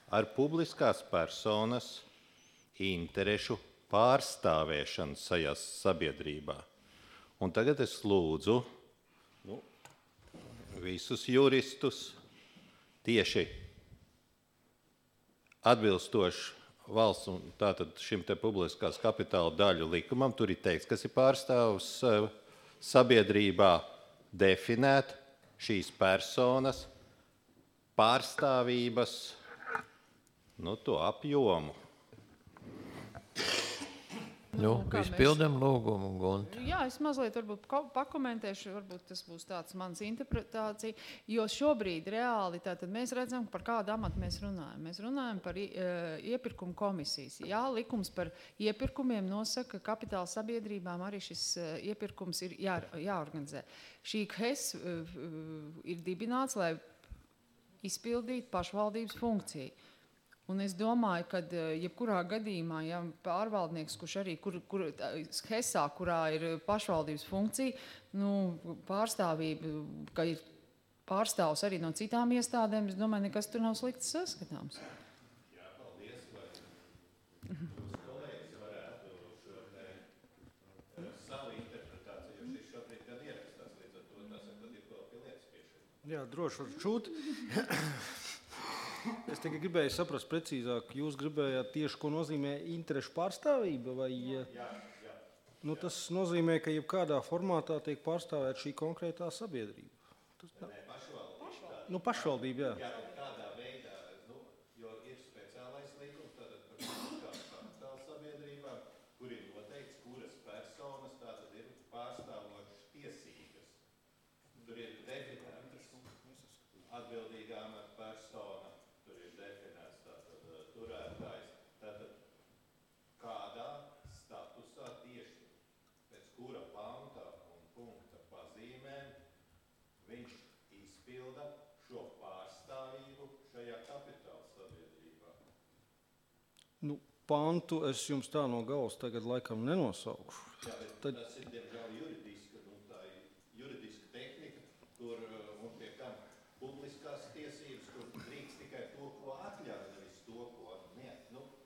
ar publiskās personas interešu pārstāvēšanu šajā sabiedrībā. Un tagad es lūdzu visus juristus tieši atbilstoši valsts un tātad šim te publiskās kapitāla daļu likumam, tur ir teikts, kas ir pārstāvs sabiedrībā, definēt šīs personas pārstāvības, to apjomu. Izpildam lūgumu, Gunta. Jā, es mazliet varbūt pakomentēšu, varbūt tas būs tāds mans interpretācija, jo šobrīd reāli tātad mēs redzam, par kādu amatu mēs runājam. Mēs runājam par iepirkumu komisijas. Jā, likums par iepirkumiem nosaka, ka kapitāla sabiedrībām arī šis iepirkums ir jāorganizē. Šī KHES ir dibināts, lai izpildītu pašvaldības funkciju. Un es domāju, ka jebkurā gadījumā, ja pārvaldnieks, kurš arī, HESā, kurā ir pašvaldības funkcija, pārstāvība, ka ir pārstāvs arī no citām iestādēm, es domāju, nekas tur nav slikts saskatāms. Jā, paldies. Vai jūs kolēģis varētu šo savu interpretāciju, jo šis šobrīd gan ierakstās, līdz ar to tas ir vēl pie lietas piešķirt. Jā, droši var šūt. Es tikai gribēju saprast precīzāk, jūs gribējāt tieši, ko nozīmē interešu pārstāvība? Vai, jā. Tas nozīmē, ka jebkādā formātā tiek pārstāvēt šī konkrētā sabiedrība. Pašvaldība, jā. Kādā veidā, jo ir speciālais likums tātad par publiskās kapitāla sabiedrībām, kur ir noteikts, kuras personas tātad ir pārstāvošas tiesīgas. Tur ir definētas atbildīgā persona. Pantu es jums tā no galvas tagad laikam nenosaukšu. Jā, bet tas ir, diemžēl, juridiska tehnika, kur un pie kam publiskās tiesības, kur drīkst tikai to, ko atļauj, nevis to, ko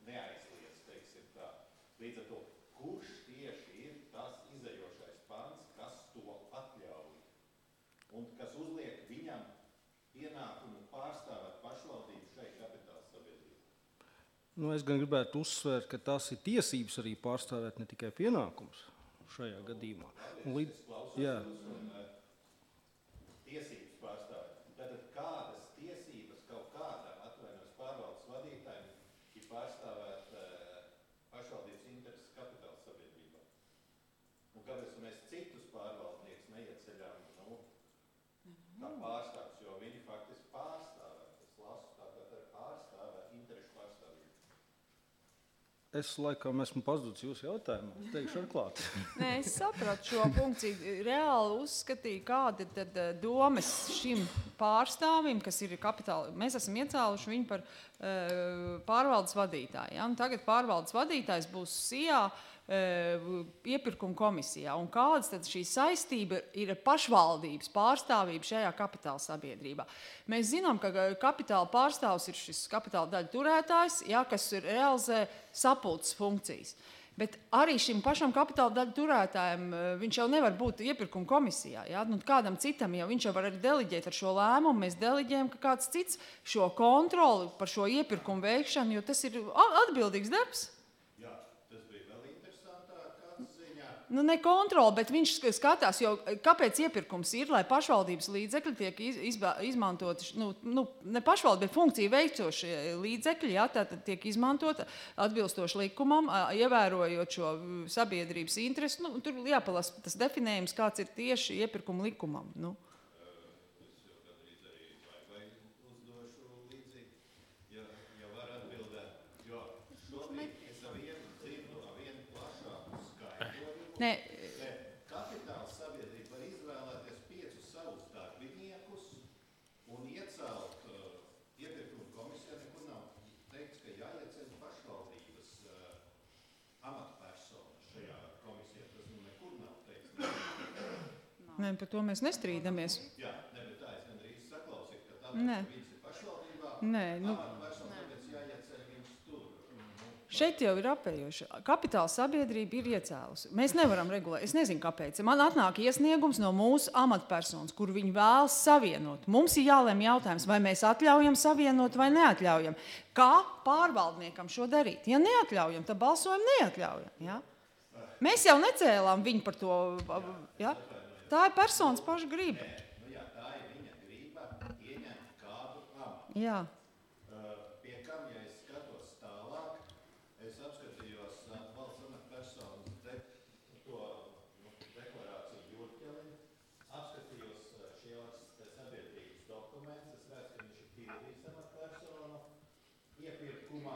neaizliedz, teiksim tā. Līdz ar to, kurš tieši ir tas izejošais pants, kas to atļauj un kas uzliek viņam pienākumu pārstāvēt pašvaldību šai kapitāla sabiedrībā. Es gan gribētu uzsvērt, ka tas ir tiesības arī pārstāvēt, ne tikai pienākums šajā gadījumā. Tiesības pārstāvēt. Tātad kādas tiesības kaut kādā pārvaldes vadītājiem ir pārstāvēt pašvaldības intereses kapitāla sabiedrībā? Un kāpēc mēs citus pārvaldniekus neieceļām kā pārstāvs, jo viņi faktiski pārstāvēt. Es lasu tātad ar pārstāvēt, interešu pārstāvību. Es laikam esmu pazudis jūsu jautājumā. Es teikšu atklāt. Nē, es sapratu šo funkciju. Reāli uzskatīju, kāda tad domas šim pārstāvim, kas ir kapitāla. Mēs esam iecēluši viņu par pārvaldes vadītāju. Ja? Un tagad pārvaldes vadītājs būs SIA iepirkuma komisijā. Un kādas tad šī saistība ir pašvaldības pārstāvība šajā kapitāla sabiedrībā? Mēs zinām, ka kapitāla pārstāvs ir šis kapitāla daļu turētājs, ja, kas realizē sapulces funkcijas. Bet arī šim pašam kapitāla daļu turētājiem viņš jau nevar būt iepirkuma komisijā. Ja? Kādam citam jau viņš jau var arī deliģēt ar šo lēmumu. Mēs deliģējam, ka kāds cits šo kontroli par šo iepirkumu veikšanu, jo tas ir atbildīgs darbs. Ne kontroli, bet viņš skatās, jo kāpēc iepirkums ir, lai pašvaldības līdzekļi tiek izmantoti, ne pašvaldība, bet funkcija veicošie līdzekļi, jā, tātad tiek izmantot atbilstoši likumam, ievērojot šo sabiedrības interesi. Tur jāpalasa tas definējums, kāds ir tieši iepirkuma likumam. Es jau kādreiz arī vai uzdošu līdzīgi. Ja Nē. Kapitāla sabiedrība var izvēlēties 5 savus darbiniekus un iecelt iepirkuma komisijā, nekur nav teikts, ka jāieceļ pašvaldības amatpersonas šajā komisijā. Tas nekur nav teikts. Nē, par to mēs nestrīdamies. Jā, bet tā es gandrīz saklausīju, ka tāpēc, ka viņas ir pašvaldībā, amatpersonas, tāpēc jāieceļ viņas tur. Šeit jau ir apējoši. Kapitāla sabiedrība ir iecēlusi. Mēs nevaram regulēt. Es nezinu, kāpēc. Man atnāk iesniegums no mūsu amatpersonas, kur viņi vēlas savienot. Mums ir jālem jautājums, vai mēs atļaujam savienot vai neatļaujam. Kā pārvaldniekam šo darīt? Ja neatļaujam, tad balsojam neatļaujam. Ja? Mēs jau necēlām viņu par to. Ja? Tā ir personas paša griba. Jā, tā ir viņa griba ieņemt kādu amatu. Jā. Pie kam, ja es skatos tālāk, es apskatījos valsts amatpersonas deklarāciju Jurķelim, apskatījos šīs sabiedrības dokumentus, es redzu, ka viņš ir pildījis amatpersonu, iepirkuma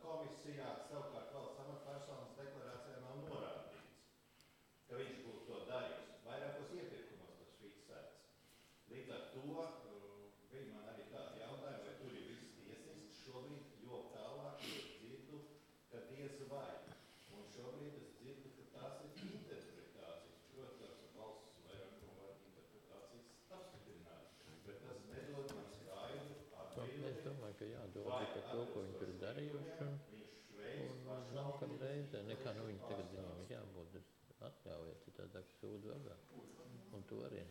komisijā savukārt valsts amatpersonas deklarācijā nav norādīts, ka viņš būtu to darījis. Vairākos iepirkumos tas fiksēts. Līdz ar to viņi man arī tādi jautājumi, vai tur ir viss tiesisks šobrīd, jo tālāk es dzirdu, ka diez vai. Un šobrīd es dzirdu, ka tās ir interpretācijas. Protams, valsts vairākumu var interpretācijas apstiprināt, bet tas nedod man skaidru atbildi. Es domāju, ka jādod tikai to, ko viņi tur darījuši. Un nākamā reize, nekā viņi tagad viņiem ir jābūt. Atļaujiet, citādāk sūdu vagāk. Un to arī.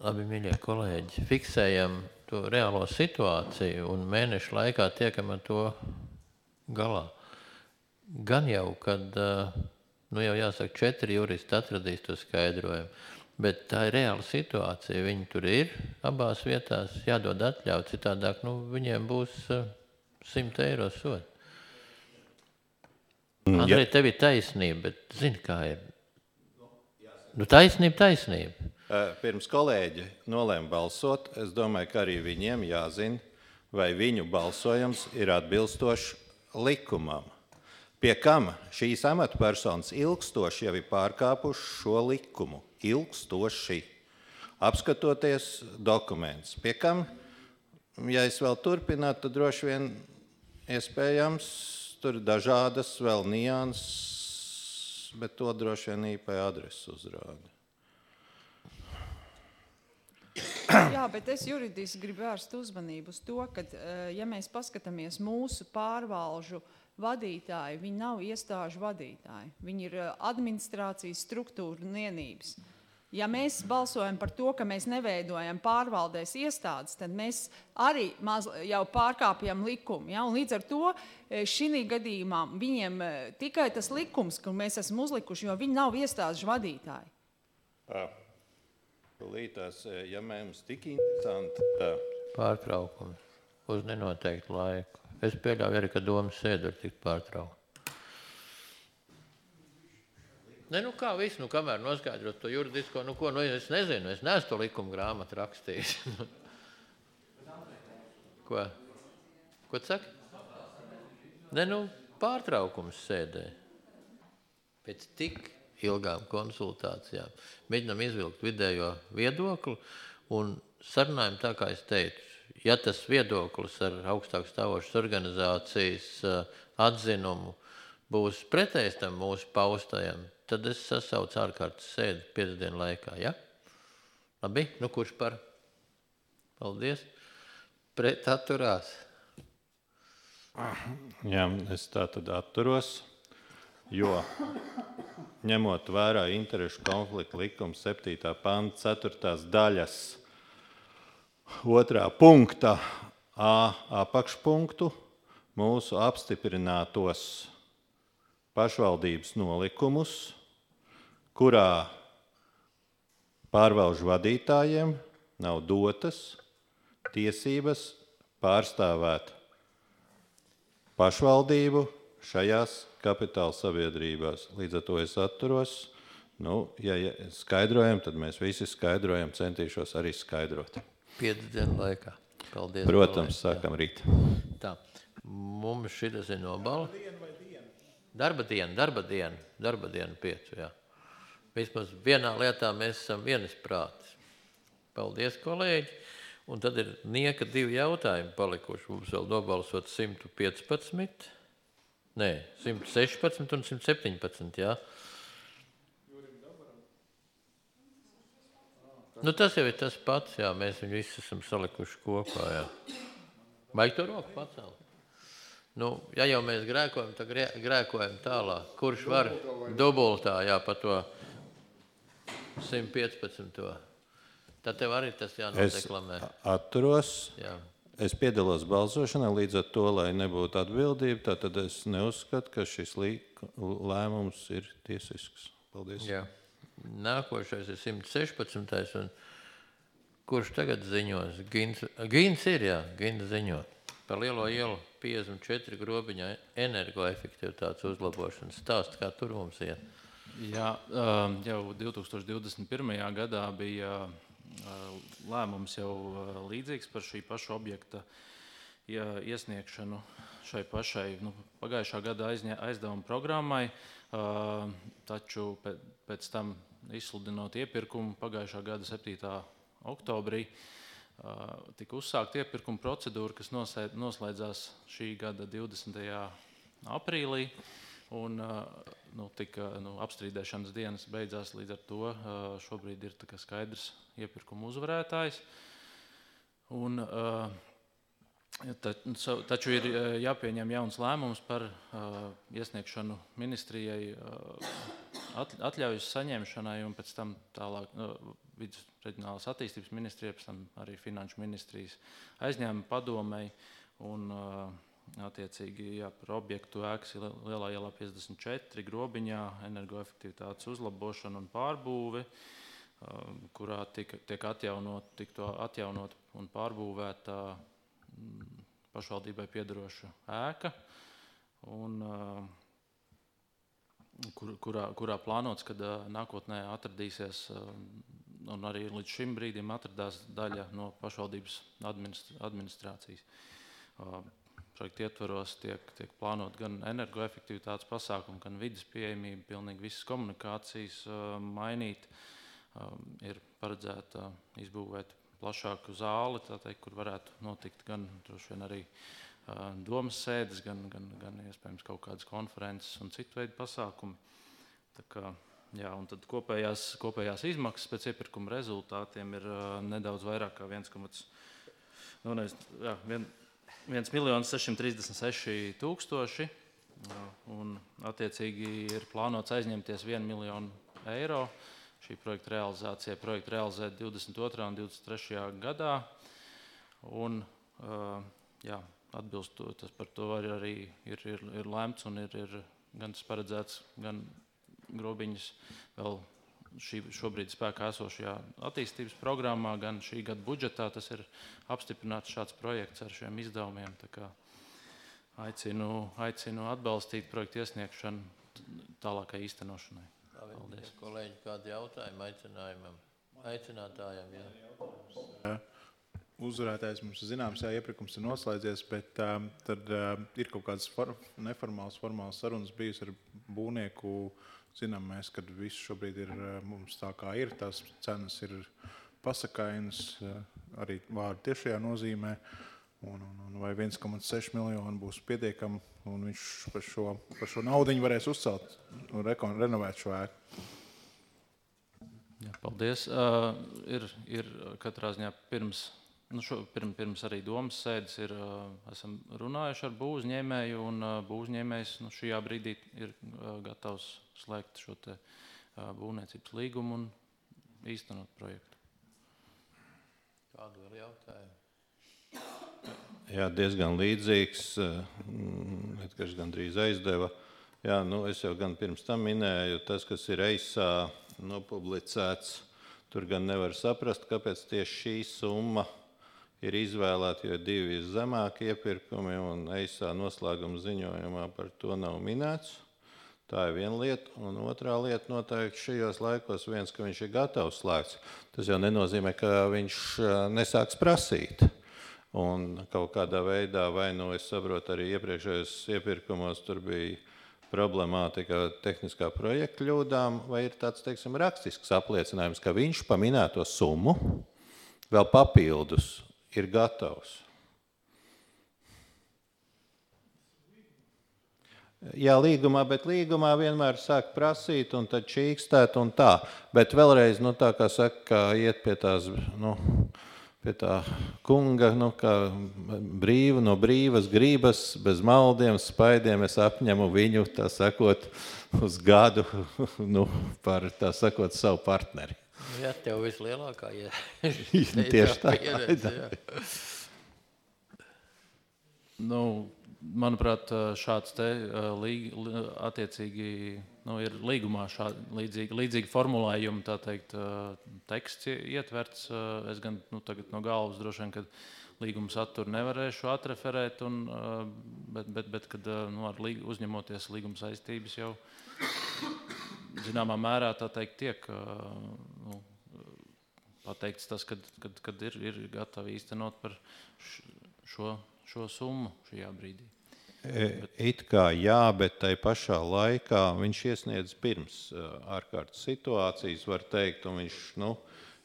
Labi, mīļie kolēģi, fiksējam to reālo situāciju un mēnešu laikā tiekam ar to galā. Gan jau, kad, jau jāsaka, 4 juristi atradīs to skaidrojumu, bet tā ir reāla situācija. Viņi tur ir abās vietās, jādod atļaut, citādāk viņiem būs 100 eiro sods. Andrej, tev ir taisnība, bet zini, kā ir. Taisnība. Pirms kolēģi nolēma balsot, es domāju, ka arī viņiem jāzina, vai viņu balsojums ir atbilstošs likumam. Pie kam šīs amatpersonas ilgstoši jau ir pārkāpuši šo likumu. Ilgstoši. Apskatoties dokumentus. Pie kam, ja es vēl turpinātu, tad droši vien iespējams tur ir dažādas vēl nianses, bet to droši vien īpaši adresu uzrāda. Jā, bet es juridiski gribu vērst uzmanību uz to, ka, ja mēs paskatāmies mūsu pārvalžu vadītāji, viņi nav iestāžu vadītāji. Viņi ir administrācijas struktūra un vienības. Ja mēs balsojam par to, ka mēs neveidojam pārvaldēs iestādes, tad mēs arī jau pārkāpjam likumu. Ja? Un līdz ar to šī gadījumā viņiem tikai tas likums, ko mēs esam uzlikuši, jo viņi nav iestāžu vadītāji. Lītās, ja mums tik interesanti... Pārtraukumi uz nenoteiktu laiku. Es pieļauju arī, ka domas sēde var tikt pārtraukt. Kā viss, kamēr noskaidrot to juridisko, es nezinu, es neesmu to likumu grāmatu rakstījis. Ko? Ko tu saki? Pārtraukums sēdē. Pēc tik ilgām konsultācijām mēģinām izvilkt vidējo viedokli un sarunājam tā, kā es teicu. Ja tas viedoklis ar augstāk stāvošas organizācijas atzinumu būs pretējs tam mūsu paustajam, tad es sasaucu ārkārtas sēdi 5 dienu laikā, ja? Labi, kurš par? Paldies. Pret atturās. Jā, es tā tad atturos, jo ņemot vērā interešu konflikta likuma 7. panta 4. daļas 2. punkta apakšpunktu mūsu apstiprinātos pašvaldības nolikumus, kurā pārvalžu vadītājiem nav dotas tiesības pārstāvēt pašvaldību šajās kapitāla sabiedrībās. Līdz ar to es atturos. Ja skaidrojam, tad mēs visi skaidrojam, centīšos arī skaidrot. 5 dienu laikā. Paldies. Protams, sākam rīt. Tā, mums šitas ir nobala. Darba diena 5, jā. Vismaz vienā lietā mēs esam vienisprātis. Paldies, kolēģi. Un tad ir nieka 2 jautājumi palikuši. Mums vēl nobalsot 115, 116 un 117, jā. Nu, tas jau ir tas pats, jā, mēs viņu visi esam salikuši kopā, jā. Vajag to roku pacelt. Nu, ja jau mēs grēkojam, tad grēkojam tālāk. Kurš var dubultā, jā, pa to 115. Tad tev arī tas jānodeklamē. Es atturos, jā. Es piedalos balsošanā, līdz ar to, lai nebūtu atbildība, tad es neuzskatu, ka šis lēmums ir tiesisks. Paldies. Jā. Nākošais ir 116. Un kurš tagad ziņos? Gins ir, jā, Gins ziņo. Par Lielo ielu 54 grobiņā energoefektivitātes uzlabošanas stāsts, kā tur mums iet. Jā, jau 2021. gadā bija lēmums jau līdzīgs par šī paša objekta iesniegšanu šai pašai pagājušā gada aizdevuma programmai, taču pēc tam izsludinot iepirkumu pagājušā gada 7. oktobrī tika uzsākt iepirkuma procedūra, kas noslēdzās šī gada 20. aprīlī, un apstrīdēšanas dienas beidzās, līdz ar to šobrīd ir skaidrs iepirkuma uzvarētājs. Un, taču ir jāpieņem jauns lēmums par iesniegšanu ministrijai atļaujas saņemšanai un pēc tam tālāk vidus reģionālās attīstības ministrijai, pēc tam arī finanšu ministrijas aizņēmuma padomei un attiecīgi par objektu ēkas Lielā ielā 54 grobiņā energoefektivitātes uzlabošanu un pārbūvi, kurā tiktu atjaunot un pārbūvēta pašvaldībai piederoša ēka, un kurā plānots, kad nākotnē atradīsies, un arī līdz šim brīdim atradās daļa no pašvaldības administrācijas. Projekta ietvaros tiek plānot gan energoefektivitātes pasākumi, gan vides pieejamība, pilnīgi visas komunikācijas mainīt. Ir paredzēta izbūvēt plašāku zāli, kur varētu notikt gan droši vien arī domas sēdes, gan iespējams kaut kādas konferences un citu veidu pasākumi. Tā kā, jā, un tad kopējās izmaksas pēc iepirkuma rezultātiem ir nedaudz vairāk kā 1,636,000, un attiecīgi ir plānots aizņemties 1 miljonu eiro šī projekta realizācijai. Projekta realizēt 22. un 23. gadā, un atbilstot par to arī ir lēmts un ir gan paredzēts, gan grobiņas vēl šobrīd spēkā esošajā attīstības programmā, gan šī gada budžetā. Tas ir apstiprināts šāds projekts ar šiem izdevumiem. Tā kā aicinu atbalstīt projektu iesniegšanu tālākai īstenošanai. Paldies. Kolēģi, kādi jautājumi aicinātājiem? Jā. Uzvarētājs mums zināms, iepirkums ir noslēdzies, bet tad ir kaut kādas neformālas, formālas sarunas bijusi ar būvnieku. Zinām mēs, ka viss šobrīd ir mums tā kā ir, tās cenas ir pasakainas, arī vārdu tiešajā nozīmē, un vai 1,6 miljoni būs pietiekami, un viņš par šo naudiņu varēs uzcelt un renovēt šo ēku. Jā, paldies. Ir katrā ziņā pirms arī domas sēdes esam runājuši ar būvniecēju, un būvniecējs šajā brīdī ir gatavs slēgt šo te būvniecības līgumu un īstenot projektu. Kādu vēl jautājumu? Jā, diezgan līdzīgs, Edgars gandrīz aizdeva. Jā, es jau gan pirms tam minēju, tas, kas ir EISā nopublicēts, tur gan nevar saprast, kāpēc tieši šī summa ir izvēlēta, jo 2 ir zemāki iepirkumi, un EISā noslēguma ziņojumā par to nav minēts. Tā ir viena lieta, un otrā lieta noteikti šajos laikos viens, ka viņš ir gatavs slēgts. Tas jau nenozīmē, ka viņš nesāks prasīt. Un kaut kādā veidā, vai es saprotu, arī iepriekšējos iepirkumos tur bija problemātika tehniskā projekta kļūdām, vai ir tāds, teiksim, rakstisks apliecinājums, ka viņš pa minēto summu vēl papildus ir gatavs? Jā, līgumā, bet līgumā vienmēr sāk prasīt un tad čīkstēt un tā. Bet vēlreiz, tā kā saka, iet pie tās, pie tā kunga, kā no brīvas gribas, bez maldiem, spaidiem es apņemu viņu, tā sakot, uz gadu, par, tā sakot, savu partneri. Jā, tev vislielākā, jā. Tieši tā. Manuprāt, šāds te attiecīgi ir līgumā līdzīgi formulējumi, tā teikt, teksts ietverts. Es gan tagad no galvas droši vien, kad līguma saturu nevarēšu atreferēt, bet kad uzņemoties līguma saistības jau zināmā mērā, tā teikt, tiek pateikts tas, kad ir gatavi īstenot par šo summu šajā brīdī. It kā jā, bet tai pašā laikā viņš iesniedz pirms ārkārtas situācijas, var teikt, un viņš,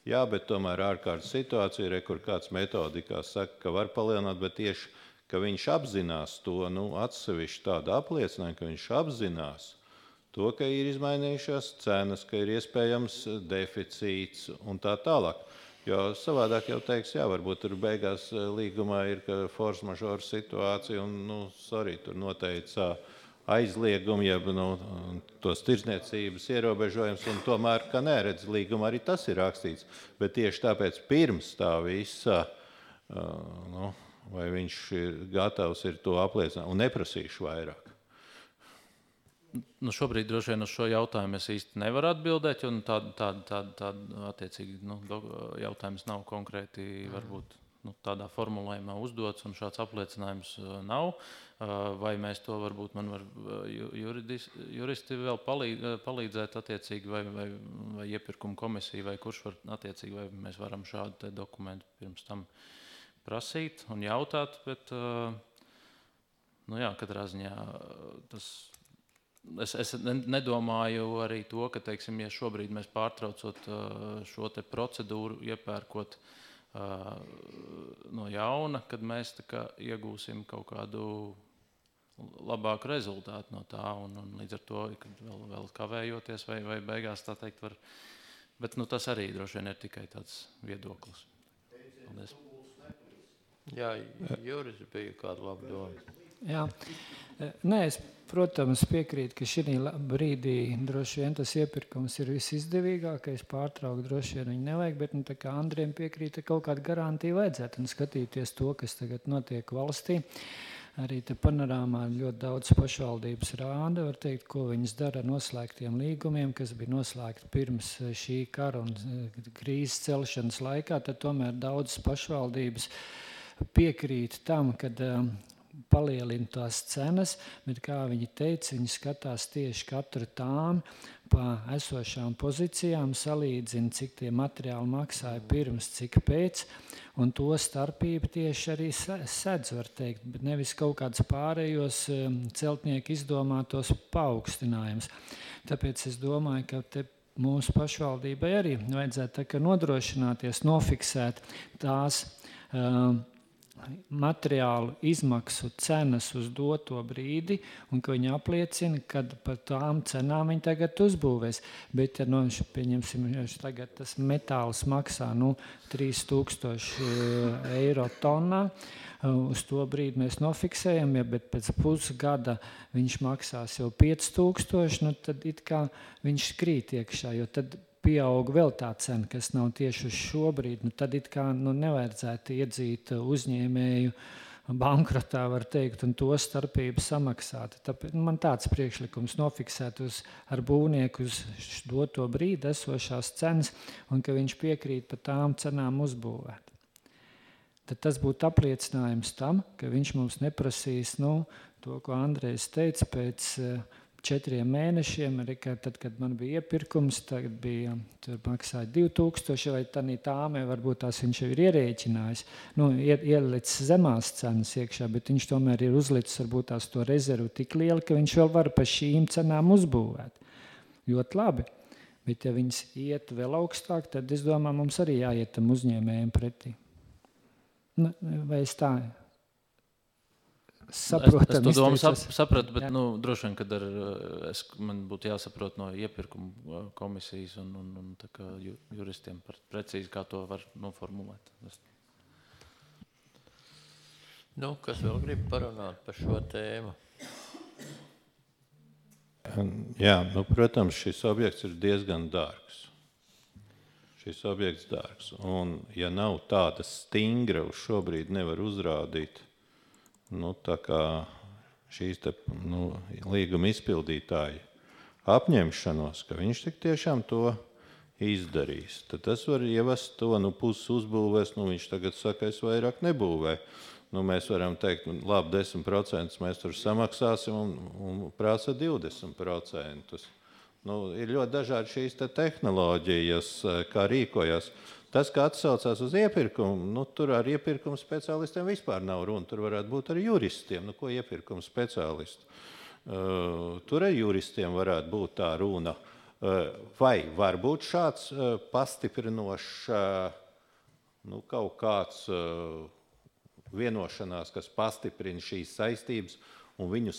jā, bet tomēr ārkārtas situācija, kur kāds metodikā saka, ka var palielināt, bet tieši, ka viņš apzinās to, atsevišķi tādu apliecinājumu, ka viņš apzinās to, ka ir izmainījušās cenas, ka ir iespējams deficīts un tā tālāk. Jo savādāk jau teiks, jā, varbūt tur beigās līgumā ir force majeure situācija un, tur noteica aizliegumu, jeb tos tirdzniecības ierobežojums, un tomēr, ka neredz līgumā, arī tas ir rakstīts. Bet tieši tāpēc pirms tā visa, vai viņš ir gatavs ir to apliecināt, un neprasīšu vairāk. Šobrīd droši vien uz šo jautājumu es īsti nevaru atbildēt, un tāda attiecīgi jautājums nav konkrēti varbūt tādā formulējumā uzdots, un šāds apliecinājums nav. Vai mēs to varbūt man var juristi vēl palīdzēt attiecīgi, vai iepirkuma komisija, vai kurš var attiecīgi, vai mēs varam šādu te dokumentu pirms tam prasīt un jautāt, bet katrā ziņā tas. Es nedomāju arī to, ka, teiksim, ja šobrīd mēs pārtraucot šo te procedūru, iepērkot no jauna, kad mēs iegūsim kaut kādu labāku rezultātu no tā, un līdz ar to, kad vēl kavējoties vai beigās, tā teikt, var. Bet tas arī droši vien ir tikai tāds viedoklis. Paldies. Jā, Juris bija kāda laba doma. Jā, es, protams, piekrītu, ka šī brīdī droši vien tas iepirkums ir visizdevīgākais, pārtraukt droši vien viņi nevajag, bet tā kā Andriem piekrīta, kaut kādu garantiju vajadzētu un skatīties to, kas tagad notiek valstī. Arī te panorāmā ļoti daudz pašvaldības rāda, var teikt, ko viņas dara ar noslēgtiem līgumiem, kas bija noslēgti pirms šī kara un krīzes celšanas laikā, tad tomēr daudzas pašvaldības piekrīt tam, kad palielina tās cenas, bet, kā viņi teica, viņi skatās tieši katru tām pa esošām pozīcijām, salīdzina, cik tie materiāli maksāja pirms, cik pēc, un to starpību tieši arī sedz, var teikt, bet nevis kaut kāds pārējos celtnieku izdomātos paaugstinājumus. Tāpēc es domāju, ka te mūsu pašvaldībai arī vajadzētu nodrošināties, nofiksēt tās materiālu izmaksu cenas uz doto brīdi, un ka viņi apliecina, kad par tām cenām viņi tagad uzbūvēs. Bet, ja pieņemsim, tagad tas metāls maksā 3000 eiro tonnā, uz to brīdi mēs nofiksējam, bet pēc pusgada viņš maksās jau 5000, tad it kā viņš krīt iekšā, jo tad pieaug vēl tā cena, kas nav tieši uz šo brīdi, tad it kā nevajadzētu iedzīt uzņēmēju bankrotā, var teikt, un to starpību samaksāt. Tāpēc man tāds priekšlikums nofiksēt ar būvnieku uz doto brīdi esošās cenas, un ka viņš piekrīt par tām cenām uzbūvēt. Tad tas būtu apliecinājums tam, ka viņš mums neprasīs to, ko Andrejs teica, pēc 4 mēnešiem, arī tad, kad man bija iepirkums, tagad bija, tur maksāja 2000, vai tāmē varbūt tās viņš jau ir ierēķinājis, ielicis zemās cenas iekšā, bet viņš tomēr ir uzlicis varbūt tās to rezervu tik lielu, ka viņš vēl var pa šīm cenām uzbūvēt. Ļoti labi, bet ja viņas iet vēl augstāk, tad es domāju, mums arī jāiet tam uzņēmējiem pretī. Vai es tā saprotam? Es to domu sapratu, bet droši vien, kad man būtu jāsaprot no iepirkuma komisijas un tā kā juristiem precīzi, kā to var noformulēt. Kas vēl grib parunāt par šo tēmu? Jā, protams, šis objekts ir diezgan dārgs. Un, ja nav tāda stingra, uz šobrīd nevar uzrādīt, tā kā šīs līguma izpildītāji apņemšanos, ka viņš tik tiešām to izdarīs. Tad tas var ievest to, puses uzbūvēs, viņš tagad saka, es vairāk nebūvēju. Mēs varam teikt, labi, 10% mēs tur samaksāsim un prasa 20%. Ir ļoti dažādi šīs tehnoloģijas, kā rīkojas. Tas, kā atsaucās uz iepirkumu, tur ar iepirkumu speciālistiem vispār nav runa. Tur varētu būt ar juristiem. Ko iepirkumu speciālisti? Tur ar juristiem varētu būt tā runa. Vai var būt šāds pastiprinošs kaut kāds vienošanās, kas pastiprina šīs saistības un viņu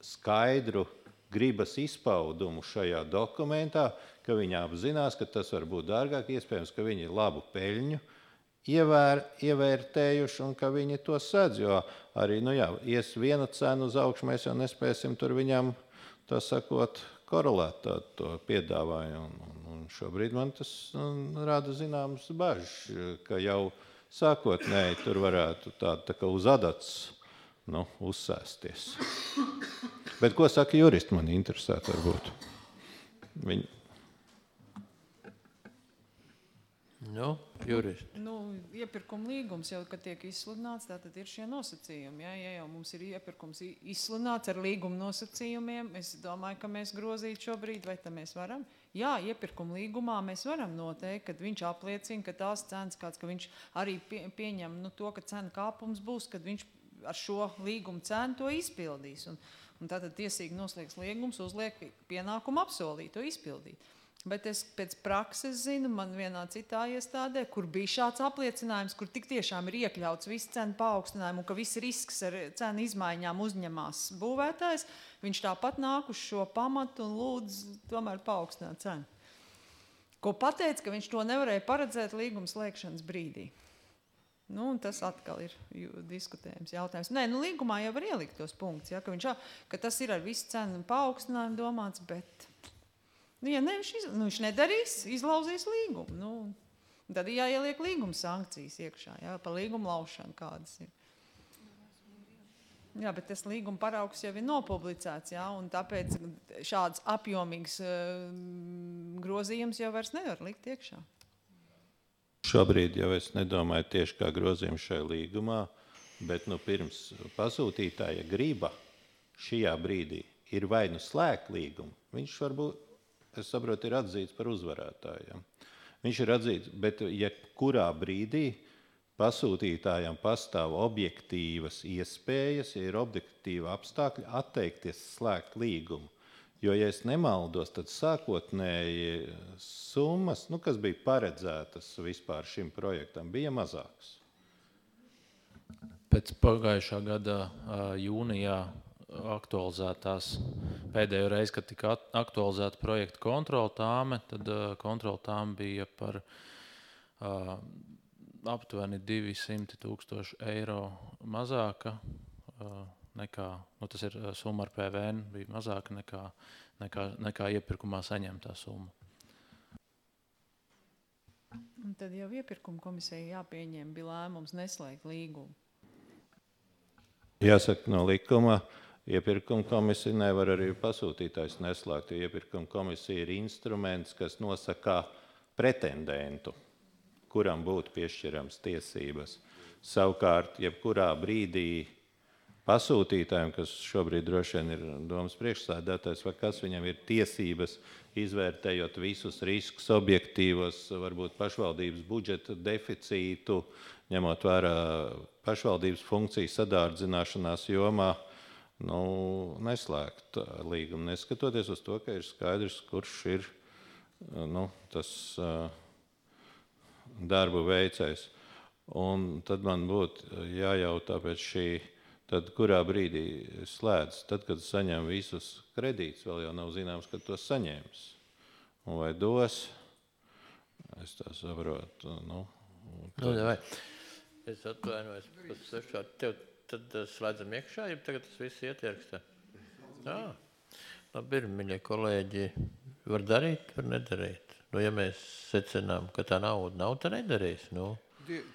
skaidru gribas izpaudumu šajā dokumentā, ka viņi apzinās, ka tas var būt dārgāk, iespējams, ka viņi labu peļņu ievērtējuši un ka viņi to sedz, jo arī, ies viena cena uz augšu, mēs jau nespēsim tur viņam, tā sakot, korelēt to piedāvājumu. Un šobrīd man tas rada zināmas bažas, ka jau sākotnēji tur varētu tā kā uz adats uzsēsties. Bet ko saka juristi, man interesētu varbūt? Juristi. Iepirkuma līgums jau, kad tiek izsludināts, tātad ir šie nosacījumi. Ja jau mums ir iepirkums izsludināts ar līguma nosacījumiem, es domāju, ka mēs grozīt šobrīd, vai tā mēs varam? Jā, iepirkuma līgumā mēs varam noteikt, kad viņš apliecina, ka tās cenas kāds, ka viņš arī pieņem to, ka cena kāpums būs, kad viņš ar šo līgumu cenu to izpildīs. Un tātad tiesīgi noslēgs līgums, uzliek pienākumu apsolīt, to izpildīt. Bet es pēc prakses zinu, man vienā citā iestādē, kur bija šāds apliecinājums, kur tik tiešām ir iekļauts viss cenu paaugstinājumu un ka viss risks ar cenu izmaiņām uzņemās būvētājs, viņš tāpat nāk uz šo pamatu un lūdz tomēr paaugstināt cenu. Ko pateica, ka viņš to nevarēja paredzēt līguma slēgšanas brīdī. Un tas atkal ir diskutējums jautājums. Līgumā jau var ielikt tos punktus, ja, ka tas ir ar visu cenu paaugstinājumu domāts, bet... Ja ne, viņš nedarīs, izlauzīs līgumu. Tad jāieliek līguma sankcijas iekšā, par līguma laušanu kādas ir. Jā, bet tas līguma paraugs jau ir nopublicēts, un tāpēc šāds apjomīgs grozījums jau vairs nevar likt iekšā. Šobrīd jau es nedomāju tieši kā grozījums šajā līgumā, bet pirms pasūtītāja griba šajā brīdī ir vai slēgt līgumu, viņš varbūt, es saprotu, ir atzīts par uzvarētājiem. Viņš ir atzīts, bet ja kurā brīdī pasūtītājiem pastāv objektīvas iespējas, ja ir objektīva apstākļi, atteikties slēgt līgumu. Jo, ja es nemaldos, tad sākotnēji summas, kas bija paredzētas vispār šim projektam, bija mazākas. Pēc pagājušā gada jūnijā aktualizētās pēdējo reizi, kad tika aktualizēta projekta kontrola tāme, tad kontrola tāme bija par aptuveni 200,000 eiro mazāka nekā, tas ir summa ar PVN, bija mazāka nekā iepirkumā saņemtā summa. Un tad jau iepirkuma komisija jāpieņem bija lēmums neslēgt līgumu. Jāsaka, no likuma iepirkuma komisija nevar arī pasūtītājs neslēgt, jo iepirkuma komisija ir instruments, kas nosaka pretendentu, kuram būtu piešķirams tiesības. Savukārt, jebkurā brīdī pasūtītājiem, kas šobrīd droši vien ir domas priekšsēdētājs, vai kas viņam ir tiesības, izvērtējot visus riskus objektīvos, varbūt pašvaldības budžeta deficītu, ņemot vērā pašvaldības funkciju sadārdzināšanās jomā, neslēgt līgumu, neskatoties uz to, ka ir skaidrs, kurš ir tas darbu veicējs. Un tad man būtu jājautā pēc šī, tad kurā brīdī slēdz, tad, kad saņem visus kredītus, vēl jau nav zināms, kad tos saņēmis. Un vai dos, es tā saprotu. Es atvainojos, tev tad slēdzam iekšā, ja tagad tas viss ietirkstā? Jā, labi ir, miļie kolēģi, var darīt, var nedarīt. Ja mēs secinām, ka tā nauda nav, tad nedarīs,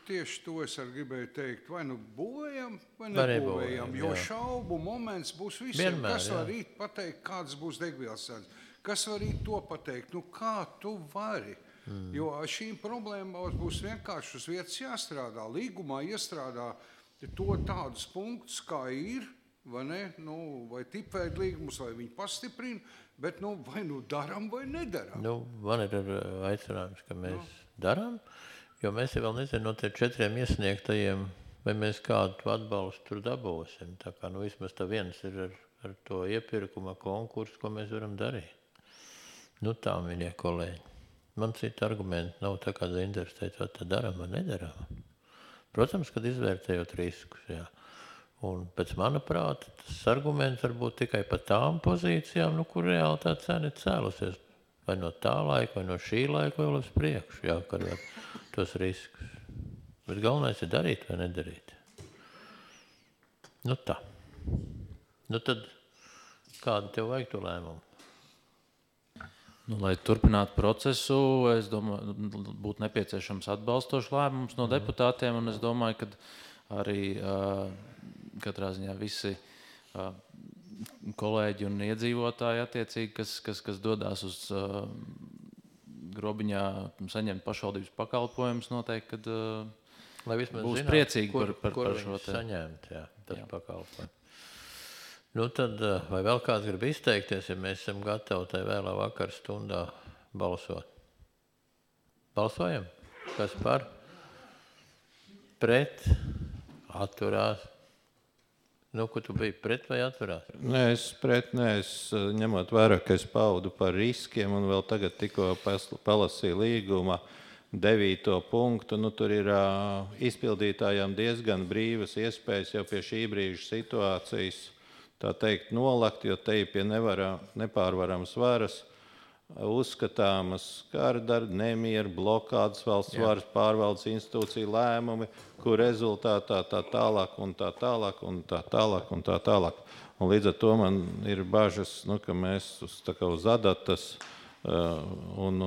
Tieši to es arī gribēju teikt, vai būvējam, vai nebūvējam, jo šaubu moments būs visiem. Vienmēr, kas var rīt pateikt, kāds būs degvielas cenas? Kas var rīt to pateikt? Kā tu vari? Jo šīm problēmām būs vienkārši uz vietas jāstrādā. Līgumā iestrādā to tādus punktus, kā ir, vai ne? Vai tipveida līgumus, vai viņi pastiprina, bet vai daram vai nedaram. Man ir aicinājums, ka mēs daram. Jo mēs jau vēl nezinām no tiem 4 iesniegtajiem, vai mēs kādu atbalstu tur dabūsim. Tā kā vismaz tā viens ir ar to iepirkuma konkursu, ko mēs varam darīt. Tā, miļie kolēģi. Man cita argumenta nav tā kā zainteresēts, vai tā daram vai nedaram. Protams, kad izvērtējot riskus, jā. Un pēc mana prāta tas arguments var būt tikai par tām pozīcijām, kur reāli tā cena ir cēlusies. Vai no tā laika, vai no šī laika vēl uz priekšu, jākarot tos riskus. Bet galvenais ir darīt vai nedarīt. Tā. Tad kādu tev vajag to lēmumu? Lai turpinātu procesu, es domāju, būtu nepieciešams atbalstošs lēmums no deputātiem, un es domāju, ka arī katrā ziņā visi kolēģi un iedzīvotāji attiecīgi, kas dodās uz grobiņā saņemt pašvaldības pakalpojumus, noteikti, kad būs priecīgi par šo te. Saņemt, tas pakalpojums. Tad, vai vēl kāds grib izteikties, ja mēs esam gatavi tai vēlā vakar stundā balsot? Balsojam? Kas par? Pret? Atturās? Ko tu biji pret vai atturās? Nē, es pret, ņemot vērā, ka es paudu par riskiem un vēl tagad tikko palasīju līguma 9. punktu. Tur ir izpildītājām diezgan brīvas iespējas jau pie šī brīža situācijas, tā teikt, nolakt, jo te ir pie nepārvarams varas uzskatāmas kara, nemieru, blokādas valsts varas pārvaldes institūciju lēmumi, kur rezultātā tā tālāk un tā tālāk un tā tālāk un tā tālāk. Un līdz ar to man ir bažas, ka mēs uz adatas un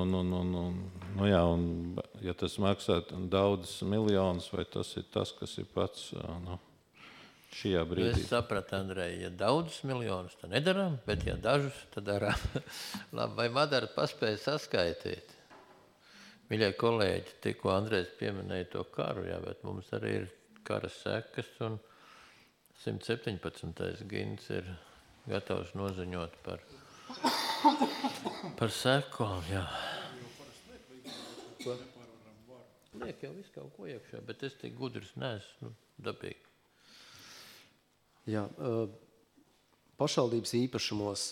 ja tas maksā daudz miljonus, vai tas ir tas, kas ir pats šajā brīdī. Es sapratu, Andrej, ja daudzus miljonus, tad nedaram, bet ja dažus, tad darām. Labi, vai Madara paspēja saskaitīt? Miļie kolēģi, tikko Andrejs pieminēja to karu, bet mums arī ir kara sekas, un 117. Gins ir gatavs noziņot par sekām, Liek jau visu kaut ko iekšā, bet es tik gudrs neesmu, dabīgi. Pašvaldības īpašumos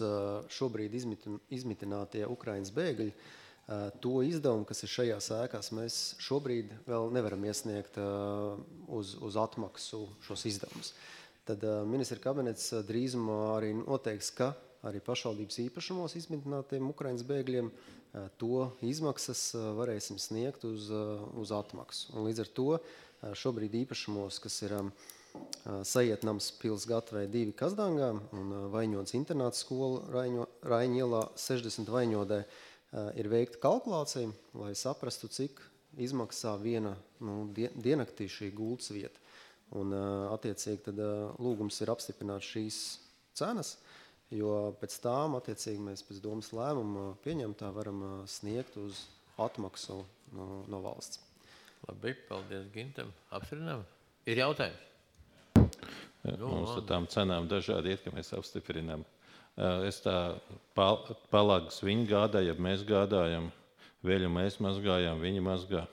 šobrīd izmitinātie Ukrainas bēgļi, to izdevumu, kas ir šajās ēkās, mēs šobrīd vēl nevaram iesniegt uz atmaksu šos izdevumus. Tad ministra kabinets drīzumā arī noteiks, ka arī pašvaldības īpašumos izmitinātiem Ukrainas bēgļiem to izmaksas varēsim sniegt uz atmaksu. Un līdz ar to šobrīd īpašumos, kas ir Sajietnams pils Gatvei 2 Kazdangā un Vaiņodas internāta skola Raiņa ielā 60 Vaiņodē ir veikta kalkulācija, lai saprastu, cik izmaksā viena diennaktī šī gultas vieta. Un attiecīgi tad lūgums ir apstiprināt šīs cenas, jo pēc tām attiecīgi mēs pēc domas lēmuma pieņemtā varam sniegt uz atmaksu no valsts. Labi, paldies Gintam. Apstiprinām. Ir jautājums? Mums ar tām cenām dažādi iet, ka mēs apstiprinām. Es tā palagas viņi gādāja, mēs gādājam, veļu mēs mazgājām, viņi mazgā.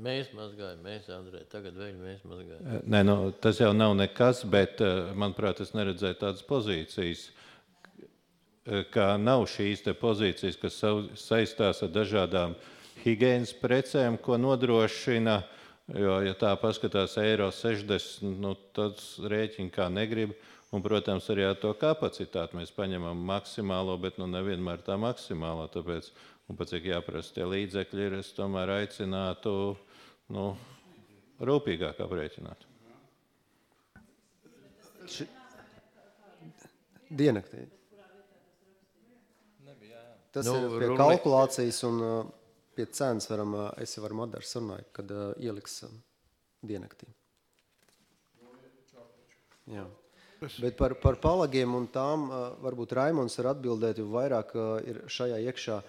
Mēs mazgājam, mēs, Andrej, tagad veļu mēs mazgājam. Nē, tas jau nav nekas, bet, manuprāt, es neredzēju tādas pozīcijas, ka nav šīs te pozīcijas, kas saistās ar dažādām higienas precēm, ko nodrošina, jo, ja tā paskatās €60, tāds rēķini kā negrib, un, protams, arī ar to kapacitāti mēs paņemam maksimālo, bet nevienmēr tā maksimālo, tāpēc, un pat cik jāprasa tie līdzekļi ir, es tomēr aicinātu, rūpīgāk aprēķināt. Diennaktī. Tas ir pie kalkulācijas un pie cenas es jau ar Madaru sarunāju, kad ieliks diennaktī. Jā. Bet par palagiem un tām varbūt Raimonds var atbildēt, jo vairāk ir šajā iekšā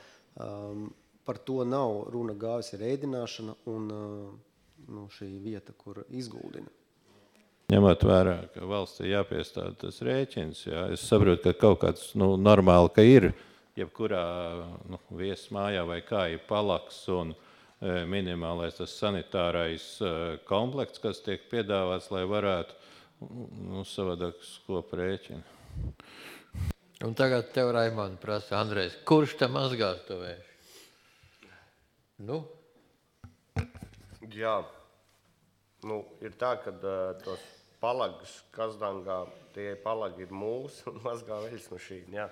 par to nav runa gājusi ir ēdināšana un šī vieta, kur izguldina. Ņemot vērā, ka valsts ir jāpiestāda tas rēķins, jā, es saprotu, ka kaut kāds normāli, ka ir jebkurā viesmājā vai kā ir palaks un minimālais tas sanitārais komplekts, kas tiek piedāvāts, lai varētu savādāk skopu rēķinu. Un tagad tev, Raimond, prasa Andrejs, kurš te mazgās to vēšu? Jā. Ir tā, ka tos palagas Kazdangā, tie palagi ir mūsu un mazgā veļas mašīna, jā.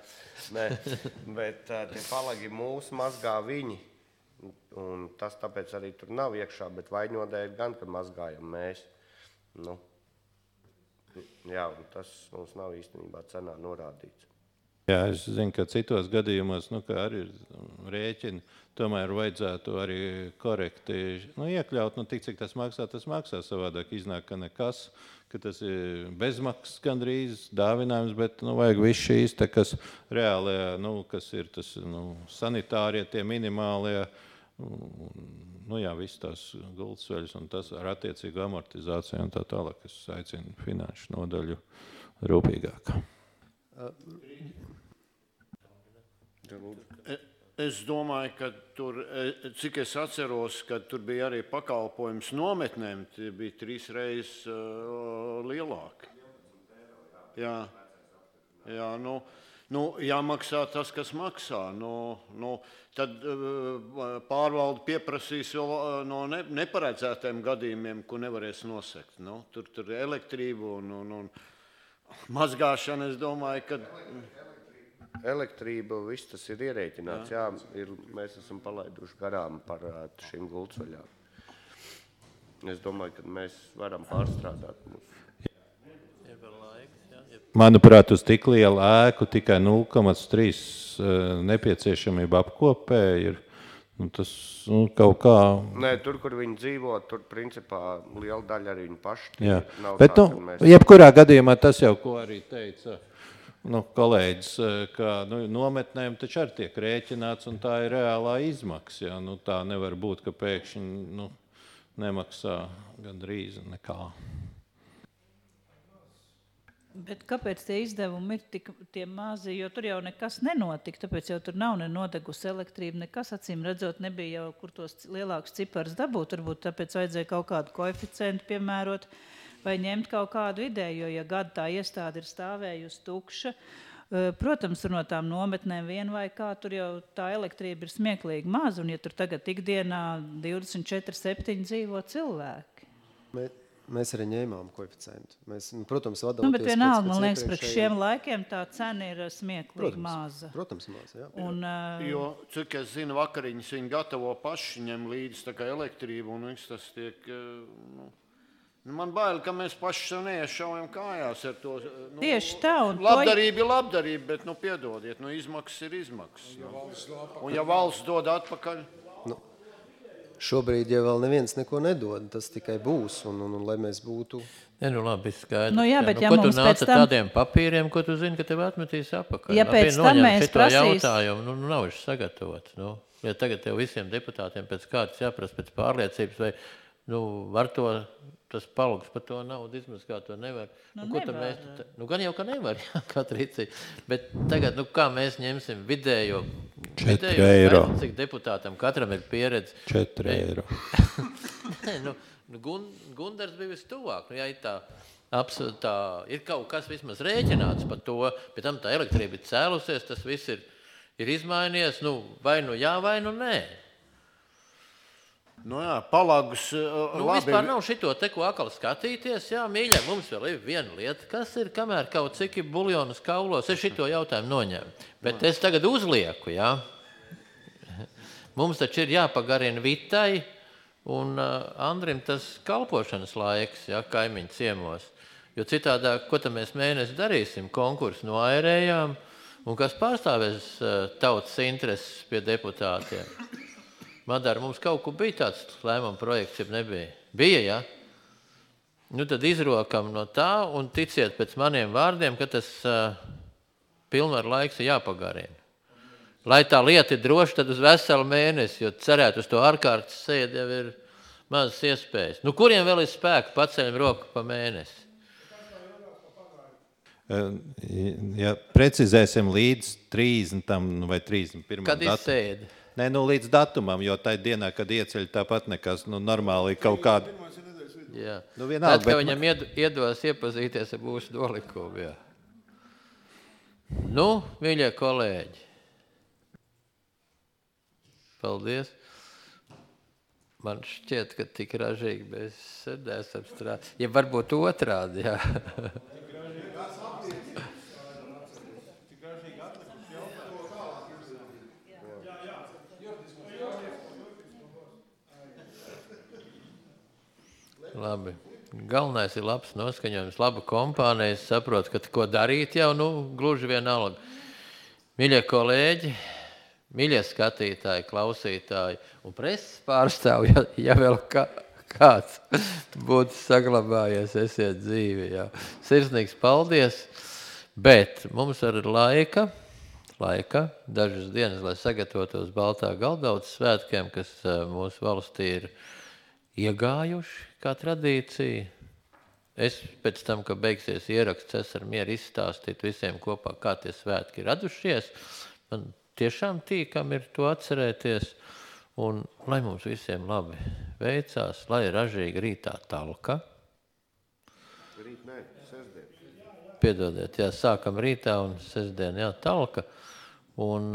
Bet tie palagi mūsu mazgā viņi, un tas tāpēc arī tur nav iekšā, bet vaļņodēļ gan, kad mazgājam mēs. Jā, un tas mums nav īstenībā cenā norādīts. Jā, es zinu, ka citos gadījumos, kā arī ir rēķini, tomēr vajadzētu arī korekti iekļaut, tik cik tas maksā savādāk, iznāk, ka nekas, ka tas ir bezmaksas gandrīz dāvinājums, bet vajag visu šīs, kas reālajā, kas ir tas sanitārie, tie minimālie, jā, viss tās gultsveļas un tas ar attiecīgu amortizāciju un tā tālāk, kas aicina finanšu nodaļu rūpīgāk. Es domāju, ka tur, cik es atceros, ka tur bija arī pakalpojums nometnēm, tie bija 3 reizes lielāki. Jā, jāmaksā tas, kas maksā. Tad pārvalde pieprasīs vēl no neparedzētiem gadījumiem, ko nevarēs nosekt. Tur ir elektrība un mazgāšana, es domāju, ka... Elektrība, viss tas ir ierēķināts, jā, mēs esam palaiduši garām par šīm gultsveļām. Es domāju, ka mēs varam pārstrādāt mūsu. Manuprāt, uz tik lielu ēku tikai 0,3 nepieciešamība apkopē ir. Tas kaut kā... Nē, tur, kur viņi dzīvo, tur principā liela daļa arī viņi paši. Jā, bet jebkurā gadījumā tas jau, ko arī teica kolēģis, ka nometnēm taču arī tiek rēķināts un tā ir reālā izmaksa. Tā nevar būt, ka pēkšņi nemaksā gandrīz nekā. Bet kāpēc tie izdevumi ir tik tie mazi, jo tur jau nekas nenotika, tāpēc jau tur nav nenodegusi elektrība, nekas acīm redzot nebija jau, kur tos lielākus ciparus dabūt, varbūt tāpēc vajadzēja kaut kādu koeficientu piemērot vai ņemt kaut kādu ideju, jo ja gadu tā iestāde ir stāvējusi tukša, protams, tur no tām nometnēm vien vai kā, tur jau tā elektrība ir smieklīgi maza, un ja tur tagad ikdienā 24/7 dzīvo cilvēki. Mēs arī ņēmām koeficientu. Mēs, protams, vadoties bet vienalga, man liekas, pret šiem laikiem tā cena ir smieklīgi maza. Protams, maza, jā. Jo, cik es zinu, vakariņas viņi gatavo paši, ņem līdzi tā kā elektrību, un viss tas tiek... Man bail, ka mēs paši sev neiešaujam kājās ar to. Tieši tā. Labdarība ir labdarība, bet, piedodiet, izmaksas ir izmaksas. Un ja valsts dod atpakaļ... Šobrīd jau vēl neviens neko nedod, tas tikai būs, un lai mēs būtu... Labi, skaidrs. Jā, bet ja ko mums tu nāc ar tādiem papīriem, ko tu zini, ka tev atmetīs apakaļ? Ja pēc tam mēs prasīs... Jautājumu, nav viņš sagatavots. Ja tagad tev visiem deputātiem pēc kārtas jāprasa pēc pārliecības, vai var tas palaks par to naudu izmaskāt, to nevar. Ko tad mēs, gan jau, ka nevar, jā, Katrīcija. Bet tagad, kā mēs ņemsim vidējo 4 eiro. Cik deputātam katram ir pieredze? 4 eiro. Gundars bija vistuvāk. Jā, ir kaut kas vismaz rēķināts par to, bet tam tā elektrība ir cēlusies, tas viss ir izmainies, vai jā, vai nē. Jā, palagus labi. Vispār nav šito te, ko akali skatīties, jā, mīļā, mums vēl ir viena lieta, kas ir, kamēr kaut cik ir buljonas kaulos, es šito jautājumu noņemu. Bet es tagad uzlieku, jā. Mums taču ir jāpagarina Vitai un Andrim tas kalpošanas laiks, jā, kaimiņu ciemos. Jo citādāk, ko tad mēs mēnesi darīsim? Konkursu noairējām, un kas pārstāvēs tautas intereses pie deputātiem? Madara, mums kaut kur bija tāds lēmuma projekts, ja nebija? Bija, jā? Tad izrokam no tā un ticiet pēc maniem vārdiem, ka tas pilnvaru laiks ir jāpagarina. Lai tā lieta ir droša, tad uz veselu mēnesi, jo cerēt uz to ārkārtas sēdi jau ir mazas iespējas. Kuriem vēl ir spēka, paceļam roku pa mēnesi? Ja precizēsim līdz 30. vai 31. Kad ir sēdi? Nē, līdz datumam, jo tai dienā, kad ieceļ tāpat nekas, normāli kaut kāda. Jā. Vienalga, tad, ka viņam iedos iepazīties ar mūsu nolikumu, jā. Mīļie kolēģi. Paldies. Man šķiet, ka tik ražīgi mēs sēdēsim strādāt. Ja varbūt otrādi, jā. Labi. Galvenais ir labs noskaņojums, laba kompānija. Es saprotu, ka ko darīt jau, gluži vienalga. Mīļie kolēģi, mīļie skatītāji, klausītāji un preses pārstāvi, ja vēl kāds būtu saglabājies, esiet dzīvi. Jā. Sirsnīgs paldies, bet mums ir laika, dažas dienas, lai sagatavotos Baltā Galdautas svētkiem, kas mūsu valstī ir iegājuši kā tradīcija. Es pēc tam, ka beigsies ieraksts, es ar mieru izstāstīt visiem kopā, kā tie svētki ir radušies. Man tiešām tīkam ir to atcerēties. Un lai mums visiem labi veicās, lai ražīgi rītā talka. Rīt nē, sestdien. Piedodiet, jā, sākam rītā un sestdien, jā, talka. Un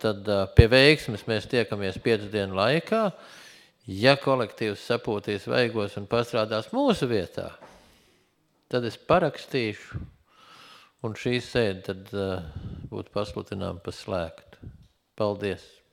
tad pie veiksmes mēs tiekamies 5 dienu laikā. Ja kolektīvs sapūtīs vaigos un pastrādās mūsu vietā, tad es parakstīšu, un šī sēde tad būtu pasludināma pa slēgtu. Paldies!